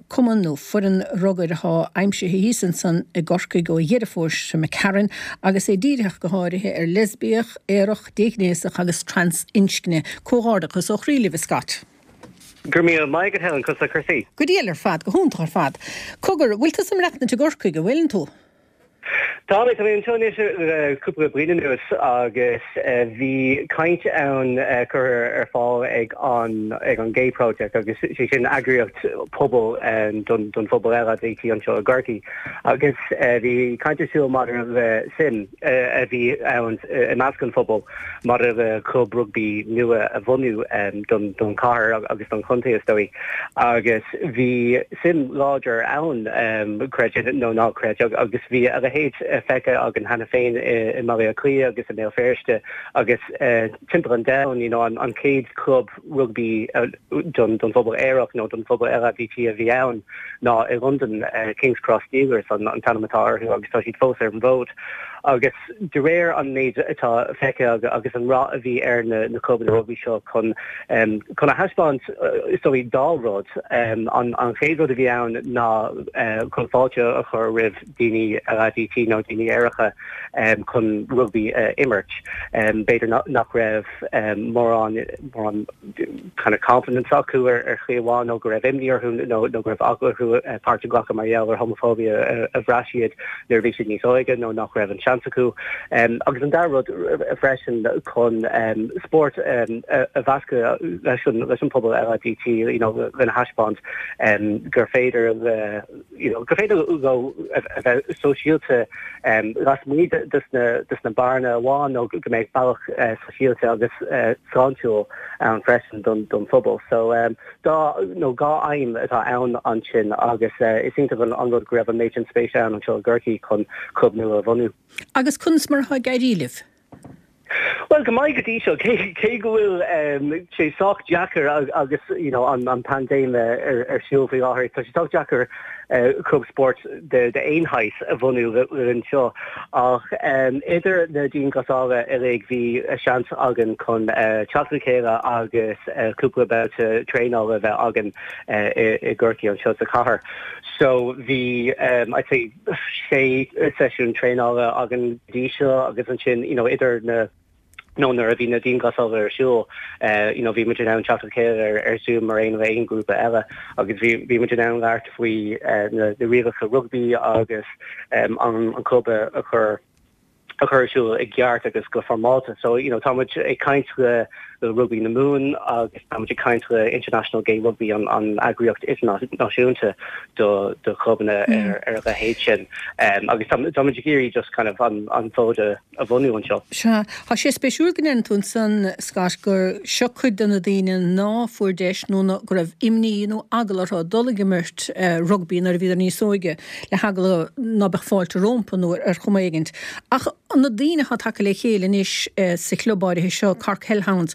Cumann nó foireann rugair atá aimsithe thíos ansan i gCorcaigh ó Dheireadh Fómhair seo imigh tharainn agus é dírithe go háirithe ar leisbiach, aerach, déghnéasach agus trans-inscne. Comhghairdeachas ó chroí libh, a Scott. Go raibh míle maith agat Helen, conas tá cúrsaí? Go diail ar fad, go hiontach ar fad. Cogar, bhfuil tusa ag maireachtaint i gCorcaigh, an bhfuileann tú? Tá mé, tá mé anseo anois le cúpla bliain anuas agus bhí caint ann curtha ar fáil ag an ag an Gay Project agus sé sin eagraíocht pobail don don phobal LADT anseo i gCorcaigh agus bhí caint ar siúl maidir le suim a bhí ann i measc an phobail maidir le club rugbaí nua a bhunú don don chathair agus don chontae is dóigh agus bhí suim láidir ann, creid é nó ná creid, agus bhí a leithéid feicthe againn cheana féin i mBaile Átha Cliath agus i mBéal Feirste agus timpeall an domhain, you know, an chéad chlub rugbaí don don phobal aerach nó don phobal LADT a bhí ann ná i Londain, King's Cross Steelers an t-ainm atá orthu agus tá siad fós ar an bhfód. Agus de réir an méid atá feicthe agus an rath a bhí ar na clubanna rugbaí seo chun chun a thaispeáint is dóigh dá rud, an chéad rud a bhí ann ná chun fáilte a chur roimh daoine LADT nó daoine aeracha chun rugbaí a imirt. B'fhéidir nach raibh mórán mórán kind of confidence acu ar shlí amháin nó go raibh imní orthu nó nó go raibh eagla orthu páirt a ghlacadh mar gheall ar homophobia a bhraith siad nuair a bhí siad níos óige nó nach raibh an seans acu. Agus an dara rud freisin chun spórt a mheascadh leis an leis an pobal LADT you know lena thaispeáint gur féidir le you know gur féidir leo a bheith sóisialta lasmuigh de na beáranna amháin nó go mbeidh bealach sóisialta agus sláintiúil ann freisin don phobal. So dá nó dhá aidhm atá ann ansin agus is iontach an rud go raibh an méid sin spéise ann anseo i gCorcaigh chun club nua a bhunú. Agus conas mar atá ag éirí libh? Bhuel, go maith go dtí seo, cé go bhfuil sé sách deacair agus you know an paindéim ar siúl faoi láthair, tá sé sách deacair club spóirt d'aon shaghas a bhunú linn seo. Ach idir na dianghlasála uilig bhí seans againn chun teacht le chéile agus cúpla babhta traenála a bheith againn i gCorcaigh anseo sa chathair. So bhí I'd say sé seisiún traenála againn go dtí seo agus ansin you know idir na nó nuair a bhí na dianghlasála ar siúl you know bhí muid in ann teacht le chéile ar ar Zoom mar aon le aon ghrúpa eile agus bhí bhí muid in ann labhairt faoi na na rialacha rugbaí agus an an club a chur a chur ar siúl i gceart agus go foirmeálta. So, you know, tá muid ag caint le Rugbaí na Mumhan agus tá muid ag caint le International Gay Rugby, an an eagraíocht idirnáisiúnta do do chlubanna ar ar a leithéid sin. Um, agus tá tá muid ag iarraidh just kind of an an fód a a bhunú anseo. Sea, tá sé spéisiúil go ndeireann tú ansan, Scott, gur seo cuid de na daoine ná fuair deis nó ná go raibh imní nó eagla orthu dul ag imirt rugbaí nuair a bhíodar níos óige. le heagla ná beadh fáilte rómpa nó ar chuma éigint. Ach na daoine atá tagtha le chéile anois sa chlub áirithe seo, Cork Hellhounds,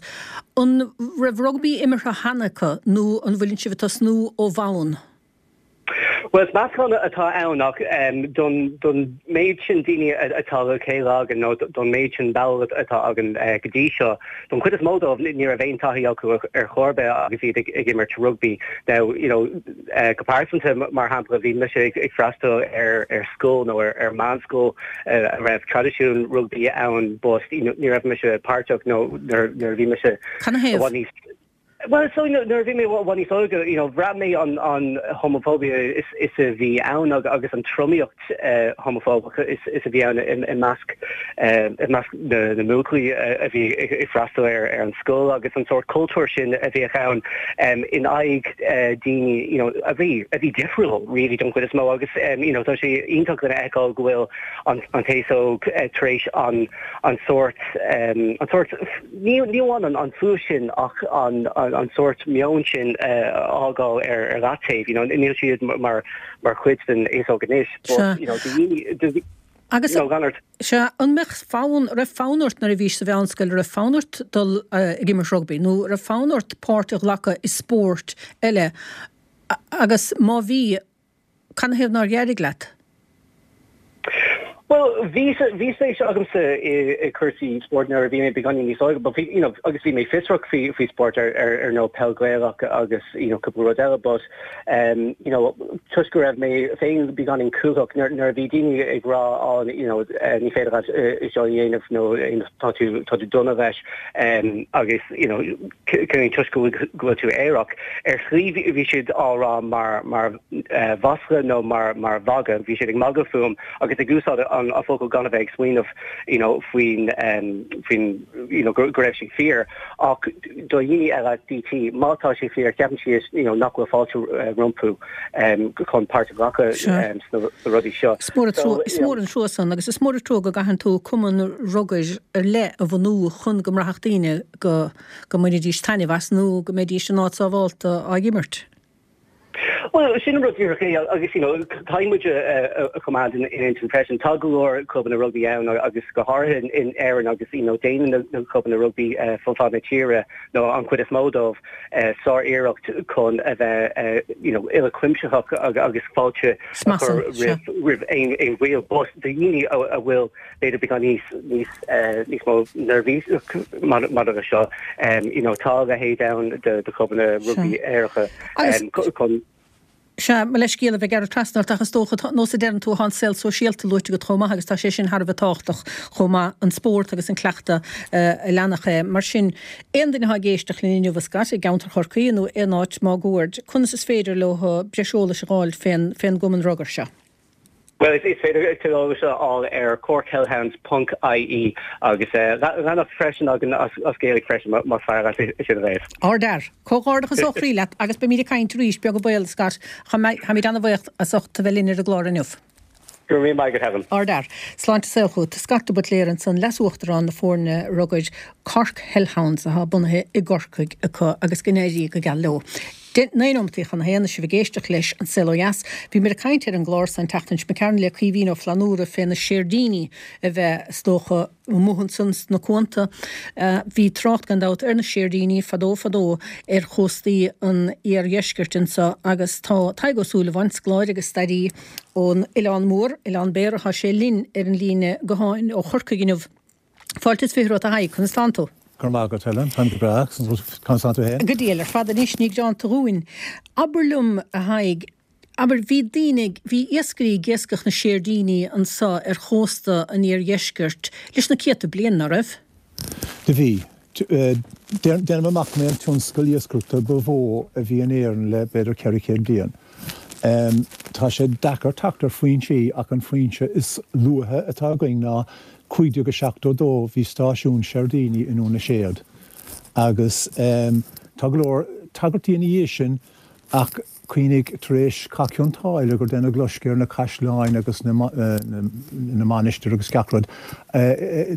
an raibh rugbaí imeartha cheana acu nó an bhfuileann sibh ag tosnú ó bhonn? Bhuel, is meascán atá ann ach don don méid sin daoine atá le chéile againn nó don méid sin ball atá againn go dtí seo, don chuid is mó dóibh ní raibh aon taithí acu ar chor ar bith agus iad ag imirt rugbaí. Now, you know, Go pearsanta, mar shampla, bhí mise ag freastal ar scoil nó ar meánscoil a raibh traidisiún rugbaí ann but ní raibh mise páirteach nó nuair a bhí mise i bhfad níos Bhuel, so nuair a bhí mé i bhfad níos óige, you know, bhraith mé an an homophobia is is a bhí ann agus an tromaíocht homafóbach is a bhí ann i measc i measc na na mbuachaillí a bhí ag freastal ar ar an scoil agus an sórt cultúr sin a bhíodh ann in aghaidh daoine you know a bhí a bhí difriúil really don chuid is mó agus you know tá sé iontach lena fheiceáil go bhfuil an an t-aos óg tar éis an an sórt an sórt ní ní amháin an an fuath sin ach an an sórt meon sin a fhágáil ar ar leataobh you know níl siad mar mar chuid den aos óg anois but you know do dhaoine do Agus, you know gan ort. sea, an mbeadh fonn, raibh fonn ort nuair a bhís sa mheánscoil, raibh fonn ort dul ag imirt rugbaí nó raibh fonn ort páirt a ghlacadh i spórt eile agus má bhí, canathaobh nár éirigh leat? Bhuel, bhí bhí spéis agamsa i i cúrsaí spóirt nuair a bhí mé beagáinín níos óige, but bhí, you know, agus bhí mé fiosrach faoi faoi spórt ar ar ar nós peil Gaelach agus, you know, cúpla rud eile, but um, you know, toisc go raibh mé féin beagáinín cúthach nuair nuair a bhí daoine ag rá oh, you know, eh, ní féidir leat eh, seo a dhéanamh nó eh, tá tú tá tú dona leis um, agus, you know, toisc go bhfuil go bhfuil tú aerach, ar shlí bhí bhí siad á rá mar mar eh, mhasla nó mar mar mhagadh, bhí siad ag magadh fúm agus ag úsáid an focal gan a bheith ag smaoineamh you know faoin faoin you know go raibh sé fíor ach do dhaoine eile DT má tá sé fíor ceapann siad you know nach bhfuil fáilte rompu chun páirt a ghlacadh sna rudaí seo. Is mór is mór an trua san agus is mór an trua go gcaitheann tú cumann rugair ar leith a bhunú chun go mbraithfeadh daoine go go mbainfidís taitneamh as nó go mbeidís in áit sábhálta á imirt. Bhuel, sin an rud díreach é agus you know caithfidh muid a choimeád in intinn freisin. Tá go leor clubanna rugbaí ann agus go háirithe in Éirinn agus you know déanann na clubanna rugbaí fud fad na tíre nó an chuid is mó dóibh sár-iarracht chun a bheith you know uilechuimsitheach agus fáilte a chur roimh aon bhaill. But do dhaoine a bhfuil b'fhéidir beagán níos níos níos mó neirbhíseach maidir leis seo. You know tá a leithéid ann de de chlubanna rugbaí aeracha chun. Sea, mo leithscéal a bheith ag gearradh trasna ort ach is dócha, nós a deireann tú, tá an saol sóisialta luaite agat chomh maith agus tá sé sin thar a bheith tábhachtach chomh maith, an spórt agus an cleachtadh a leanfadh é. Mar sin, aon duine atá ag éisteacht linn inniu, a Scott, i gceantar Chorcaí nó aon áit máguaird, conas is féidir leo breis eolais a dh'fháil fén fén gcumann rugair seo? Bhuel, is féidir tuilleadh eolais a fháil ar corkhellhounds ponc ie agus leathanach freisin againn as Gaeilge freisin más fearr leat é sin a léamh. Ardfhear. Comhghairdeachas ó chroí leat agus beimid ag caint arís, beag an baol, Scott. Táimid an-bhuíoch as ucht a bheith linn ar an gclár inniu. Go raibh míle maith agat, Helen. Ardfhear. Sláinte is saol chugat. Scott de Buitléir ansan, Leas-Uachtarán na foirne rugair Cork Hellhounds atá bunaithe i gCorcaigh acu agus go n-éirí go geal leo. 9 nóimeataí chun a haon, is sibh ag éisteacht leis An Saol Ó Dheas. Bhíomar ag caint ar an gclár san an tseachtain seo imigh tharainn le Caoimhín Ó Flannúra fé na seirdíní a bheith, is dócha, amuigh ansan sna cuanta. Bhí trácht, gan dabht, ar na seirdíní fadó fadó ar chóstaí an iardheiscirt anso agus tá Tadhg Ó Súilleabháin, scoláire agus stairí ón Oileán Mór, Oileán Béara, tá sé linn ar an líne gutháin ó Chorcaigh inniu. Fáilte is 20 romhat a Thaidhg, conas tánn tú? Go raibh maith agat, Helen. Táim go breá. Conas tánn tú féin? Go diail ar fad anois, ní greanta dhúinn. Abair liom, a Thaidhg, abair, bhí daoine, bhí iascairí ag iascach na séirdíní anso ar chósta an iardheiscirt leis na céadta bliain, ná raibh? Do bhí. Déanaim amach go mb'é an tionscal iascaireachta ba mhó a bhí in Éirinn le b'fhéidir 400 bliain. Tá sé deacair teacht ar foinsí ach an foinse is luaithe atá againn ná 1572 bhí stáisiún seirdíní i nDún na Séad agus tá go leor tagairtí ina dhiaidh sin Ach cuimhnigh, tar éis Cath Chionn tSáile, gur deineadh loisceadh ar na caisleáin agus na mainistir agus gach rud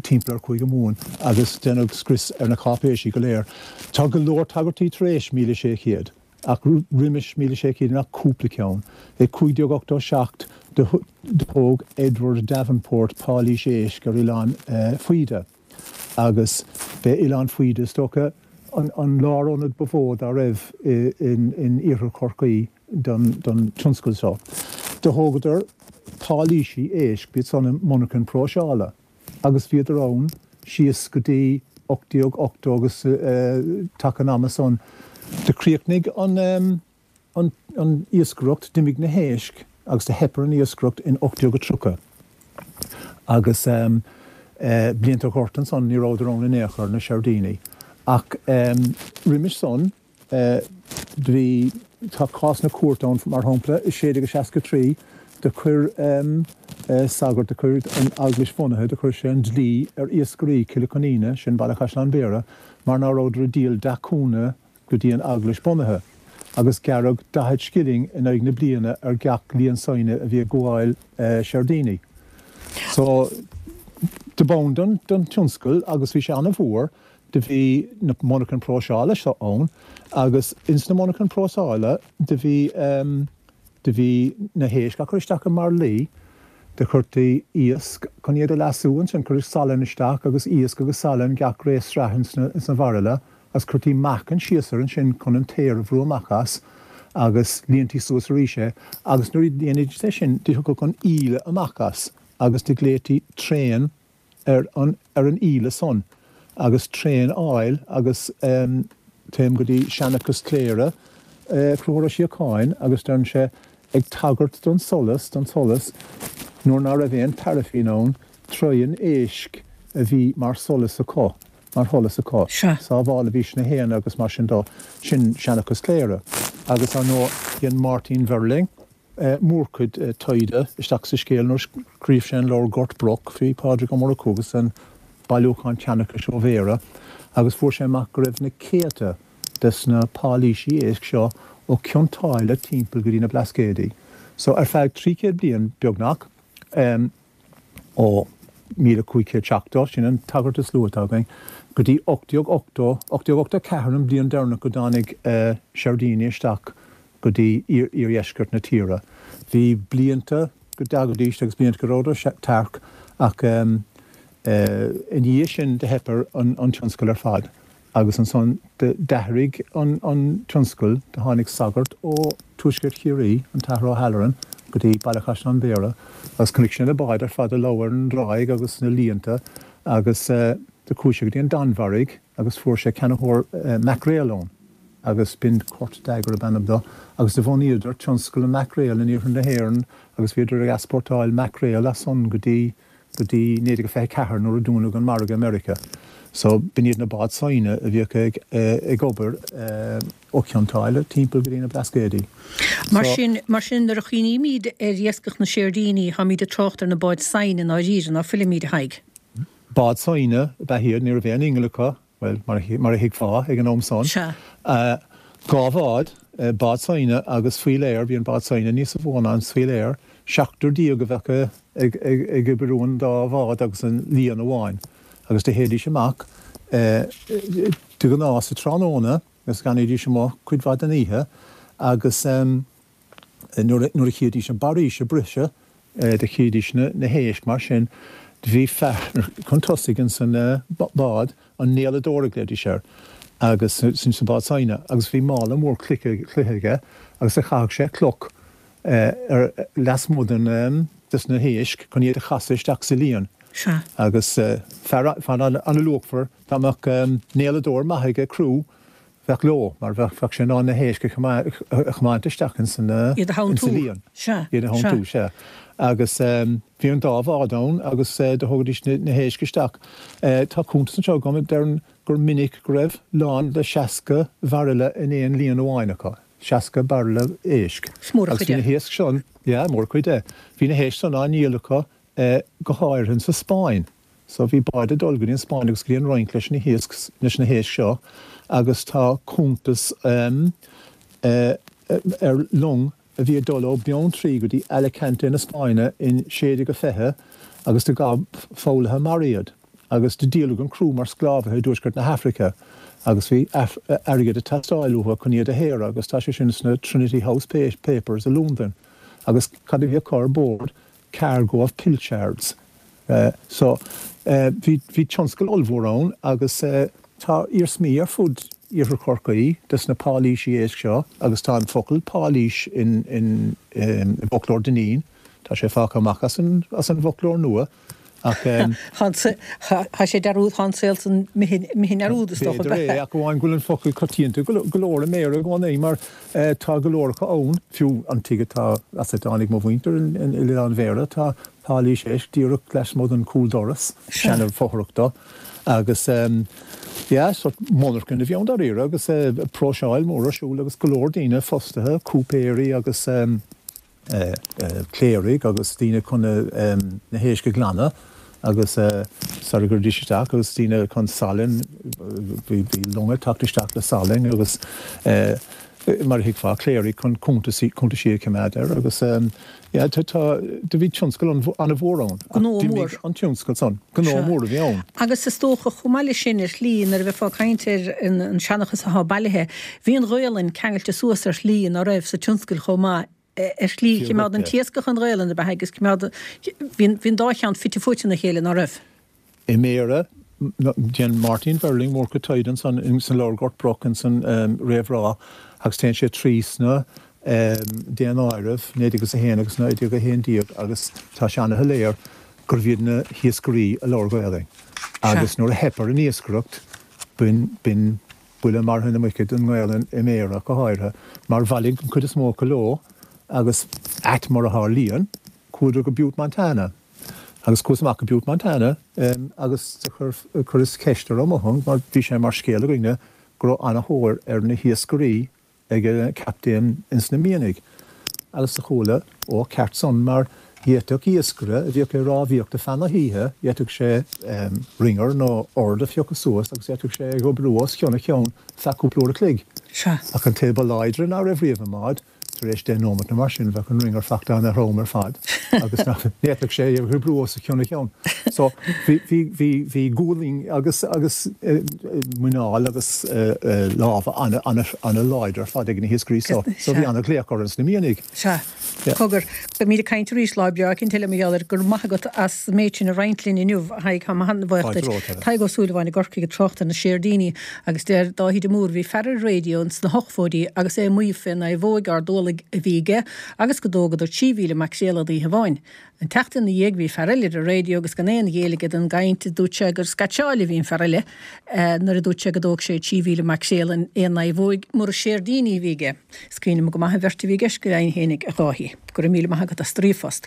timpeall ar Chúige Mumhan agus deineadh scrios ar na cáipéisí go léir. Tá go leor tagairtí tar éis 1600, ach roimis 1600 níl ach cúpla ceann. I 1587 do thóg Edward Davenport páilís éisc ar Oileán Faoide. agus b'é Oileán Faoide, is dócha, an lárionad ba mhó dá raibh in iarthar Chorcaí don tionscal seo. Do thógadar páilísí éisc, b'iad san monarchain próiseála, agus bhíodar ann síos go dtí 1880 agus taca an ama san. Do chríochnaigh an. an iascaireacht, d'imigh na héisc agus do theip ar an iascaireacht in 1830 agus blianta an ghorta ansan ní rabhadar ann in aon chor, na seirdíní. Ach roimis san do bhí, tá cásanna cúirte ann mar shampla i 1663 do chuir sagart, do chuir an Eaglais bhunaithe, do chuir sé an dlí ar iascairí Chille Coiníne, sin Baile Chaisleáin Bhéarra, mar ná rabhadar ag díol deachúna go dtí an Eaglais bunaithe, agus gearradh 40 scilling in aghaidh na bliana ar gach líon saighne a bhí ag gabháil seirdíní. So, do b'ann don tionscal agus bhí sé ana-mhór, do bhí na monarchain próiseála seo ann agus ins na monarchain próiseála do bhí, do bhí na héisc á cur isteach i mbairillí, do chuirtí iasc chun iad a leasú ansin, cuireadh salann isteach agus iasc agus salann gach ré sraith ins na bhairille. agus chuirtí meáchan síos air ansin chun an t-aer a bhrú amach as agus líontaí suas arís é agus nuair a dhéanaidís é sin do thiocfadh an íle amach as agus do ghlaoití traen ar an ar an íle san agus train oil agus téim go dtí Seanchas Chléire, Conchúr Ó Síocháin agus deireann sé ag tagairt don solas, don tsolas, nuair ná raibh aon paraifín ann, traighean éisc a bhí mar solas acu. mar sholas acu. Sea. Sábhálaidís na héin agus mar sin dó. Sin Seanchas Chléire. Agus, ar ndóigh, dhein Máirtín Verling mórchuid taighde isteach sa scéal nuair a scríobh sé an leabhar Gort Broc faoi Phádraig Ó Murchú agus an bailiúchán seanchais ó Bhéarra agus fuair sé amach go raibh na céadta des na páilísí éisc seo ó Cionn tSáile timpeall go dtí na Blascaodaí. So, ar feadh 300 bliain, beagnach, ó 1570, sin an tagairt is luaithe atá againn, go dtí 1880, 1884 an bhliain deireanach go dtáinig seirdíní isteach go dtí iardheisceart na tíre. Bhí blianta go dtagaidís agus blianta go rabhadar tearc ach ina dhiaidh sin do theip ar an tionscal ar fad. Agus ansan d'athraigh an tionscal, do tháinig sagart ó Tuaisceart Chiarraí, an tAthair O'Halloran, go dtí Baile Chaisleáin Bhéarra agus chonaic sé na báid ar fad ag lobhadh ar an dtráigh agus na líonta agus do chuaigh sé go dtí an Danmhairg agus fuair sé ceannaitheoir maicréal ann agus b'in Kurt Dager ab ainm do agus do bhunaíodar tionscal an maicréil in iarthar na hÉireann agus bhíodar ag easpórtáil maicréal as san go dtí go dtí 1924 nuair a dúnadh an margadh i Meiriceá. So b'in iad na báid saighne a bhíodh ag ag obair ó Chionn tSáile timpeall go dtí na Blascaodaí. Mar sin, mar sin nuair a chuimhnímid ar iascach na séirdíní táimid ag trácht ar na báid saighne i ndáiríre, ná fuilimid, a Thaidhg? Bád saighne ab ea iad, ní raibh aon inneall acu, Bhuel, mar a thuigfeá, ag an am san, Sea. 2 bhád, bád saighne agus faoiléar, bhí an bád saighne níosa mhó ná an faoiléar, seachtar déag a bheadh ag oibriú an dá bhád agus an líon amháin, agus do théidís amach de ghnáth sa tráthnóna. agus d'fhanaidís amuigh cuid mhaith den oíche agus nuair a chídís an barraois ag briseadh, do chídís na héisc mar sin. Do bhí fear chun tosaigh ins an bád, an néaladóir a ghlaoidís air, agus ins an bád saighne, agus bhí mála mór cloiche aige agus do chaitheadh sé cloch ar lasmuigh den des na héisc chun iad a chasadh isteach sa líon. Sea. Agus fear an-luachmhar, dá mbeadh néaladóir maith ag criú, bheadh leo, mar bheadh sé in ann na héisc a chomáint isteach ins an Iad a ins an líon. Sea. Iad a theanntú, sea. Agus bhí an dá bhád ann agus do thógaidís na héisc isteach. Tá cuntas anseo agam a deireann gur minic go raibh lán le 60 bhairille in aon líon amháin acu. 60 bairille éisc. Is mór an Agus chuid bhí é. na héisc san, yeah, mór an chuid é. Bhí na héisc san á ndíol acu go háirithe insa Spáinn. So bhí báid ag dul go dtí an Spáinn agus go dtí an Fhrainc leis na hiasc, leis na héisc seo agus tá cuntas ar long a bhí ag dul ó Beanntraí go dtí Alicante na Spáinne in 1620 agus do ghabh foghlaithe mara iad agus do díoladh an criú mar sclábhaithe i dtuaisceart na hAfraice agus bhí airgead ag teastáil uathu chun iad a shaoradh agus tá sé sin sna Trinity House Papers i Londain agus cad a bhí acu ar bord? Cargo of pilchards. So, bhí, bhí tionscal ollmhór ann agus tá iarsmaí ar fud Iarthar Chorcaí des na páilísí éisc seo agus tá an focal páilís in, in, i bhfoclóir Dineen, tá sé fágtha amach as an, as an bhfoclóir nua ach. Tá sé dearúd, tá an saol san imithe i ndearúd is dócha. B'fhéidir é, ach amháin go bhfuil an focal coitianta go leor i mBéarla i gcónaí mar tá go leor acu ann, fiú an tigh atá, as a dtáinig mo mhuintir in Oileán Bhéarra, tá páilís éisc díreach lasmuigh den chúldoras, seana-fhothrach do, agus yeah, sort monarchan a bhí ann dáiríre agus próiseáil mór ar siúl agus go leor daoine fostaithe, cúipéirí agus cléirigh agus daoine chun na héisc a ghlanadh agus sara gcuiridís isteach agus daoine chun salainn, bhí longa ag teacht isteach le salainn agus mar a thuigfeá, cléirigh chun cuntasaí, cuntaisí a choimeád air agus yeah tá, tá, do bhí tionscal an-mhór ann ach Gnó d'imigh mór. an tionscal san, gnó Sea. mór a bhí ann. Agus is dócha, chomh maith leis sin, ar shlí, nuair a bheifeá ag caint ar an seanchas athá bailithe, bhí an Ghaolainn ceangailte suas ar shlí ná raibh sa tionscal chomh maith, ar shlí, Fíor chimeád dhuit an é. t-iascach an Ghaolainn ab ea agus cimeád, bhí an dá cheann fite fuaite ina chéile, ná raibh? I mBéarra, déanann Máirtín Verling mórchuid taighde ansan ins an leabhar Gort Broc ins an réamhrá agus téann sé trí sna daonáirimh 1901 agus 1911 agus tá sé ana-shoiléir gurbh iad na hiascairí a labhair Gaelainn agus nuair a theip ar an iascaireacht b'in buille martha na muice don nGaelainn i mBéarra go háirithe mar bhailigh an chuid is mó acu leo agus ait mar a tharlaíonn chuadar go Butte Montana. Agus chuas amach go Butte Montana agus do chuireas ceist ar Ó Motháin mar bhí sé mar scéal againne go raibh ana-thóir ar na hiascairí ag an captaen ins na mianaigh. Agus do chuala, ó ceart san mar d'fhéadfadh iascaire a bhíodh ag rámhaíocht ar feadh na hoíche, d'fhéadfadh sé ringer nó ord a phiocadh suas agus d'fhéadfadh sé é oibriú os cionn a cheann feadh cúpla uair a chloig. Sea. Ach an té ba láidre ná raibh riamh i mbád, Tar éis 10 nóimeat nó mar sin bheadh an ringer fachta ana-throm ar fad agus nach bhféadfadh sé é a oibriú os a chionn a cheann. So bhí, bhí, bhí, bhí gualainn agus, agus muineál agus lámha ana, ana, ana láidir ar fad ag na hiascairí so. So bhí ana ghlaoch orthu sna mianaigh. Sea. Cogar, beimid ag caint arís lá breá eicínt eile mar gheall air. Go raibh maith agat as an méid sin a roinnt linn inniu, a Thaidhg. Táim an-bhuíoch duit. Tadhg Ó Súilleabháin i gCorcaigh ag trácht ar na séirdíní Agus deir Dáithí de Mór, bhí fear ar an raidió ins na hochmhóidí agus é ag maíomh fén naomhóig ard-ualaigh a bhí aige agus go dtógadar 3,000 maicréal in oíche amháin. An tseachtain ina dhiaidh bhí fear eile ar an raidió agus gan aon ghéill aige don gcaint dúirt sé gur scaitseáil a bhí an fear eile nuair a dúirt sé go dtóg sé 3,000 maicréal in aon naomhóig mura séirdíní a bhí aige. Is cuimhin liom go maith an bheirt a bhí i gceist go deimhin fhéinig, a Dháithí. Go raibh míle maith agat as do ríomhphost.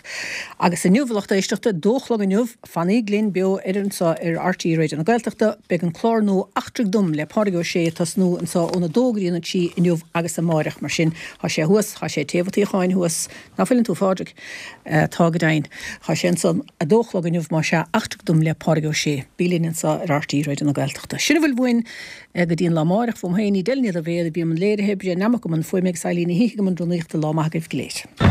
Agus inniu, a lucht éisteachta, dó a chlog inniu, fanaíg linn beo ar anseo ar RTÉ Raidió na Gaeltachta, beidh an clár nua Eachtraigh Dom le Pádraig Ó Sé ag tosnú anseo óna dó go dtí an 3 inniu agus amáireach, mar sin, thá sé thuas, thá sé taobh an tsuíocháin thuas, ná fuileann tú, a Phádraig? Tá, go deimhin. Thá sé ansan a dó a chlog inniu, más ea, Eachtraigh Dom le Pádraig Ó Sé. Bí linn anseo ar RTÉ Raidió na Gaeltachta. Sin a bhfuil uainn. Go dtí an lá amáireach, fúm féin, Edel Ní Dhaibhéad a bhí i mbun léirithe, Brian Nammock i mbun fuaime agus Eileen Ní hÍthigh i mbun rúnaíochta, lá maith agaibh go léir.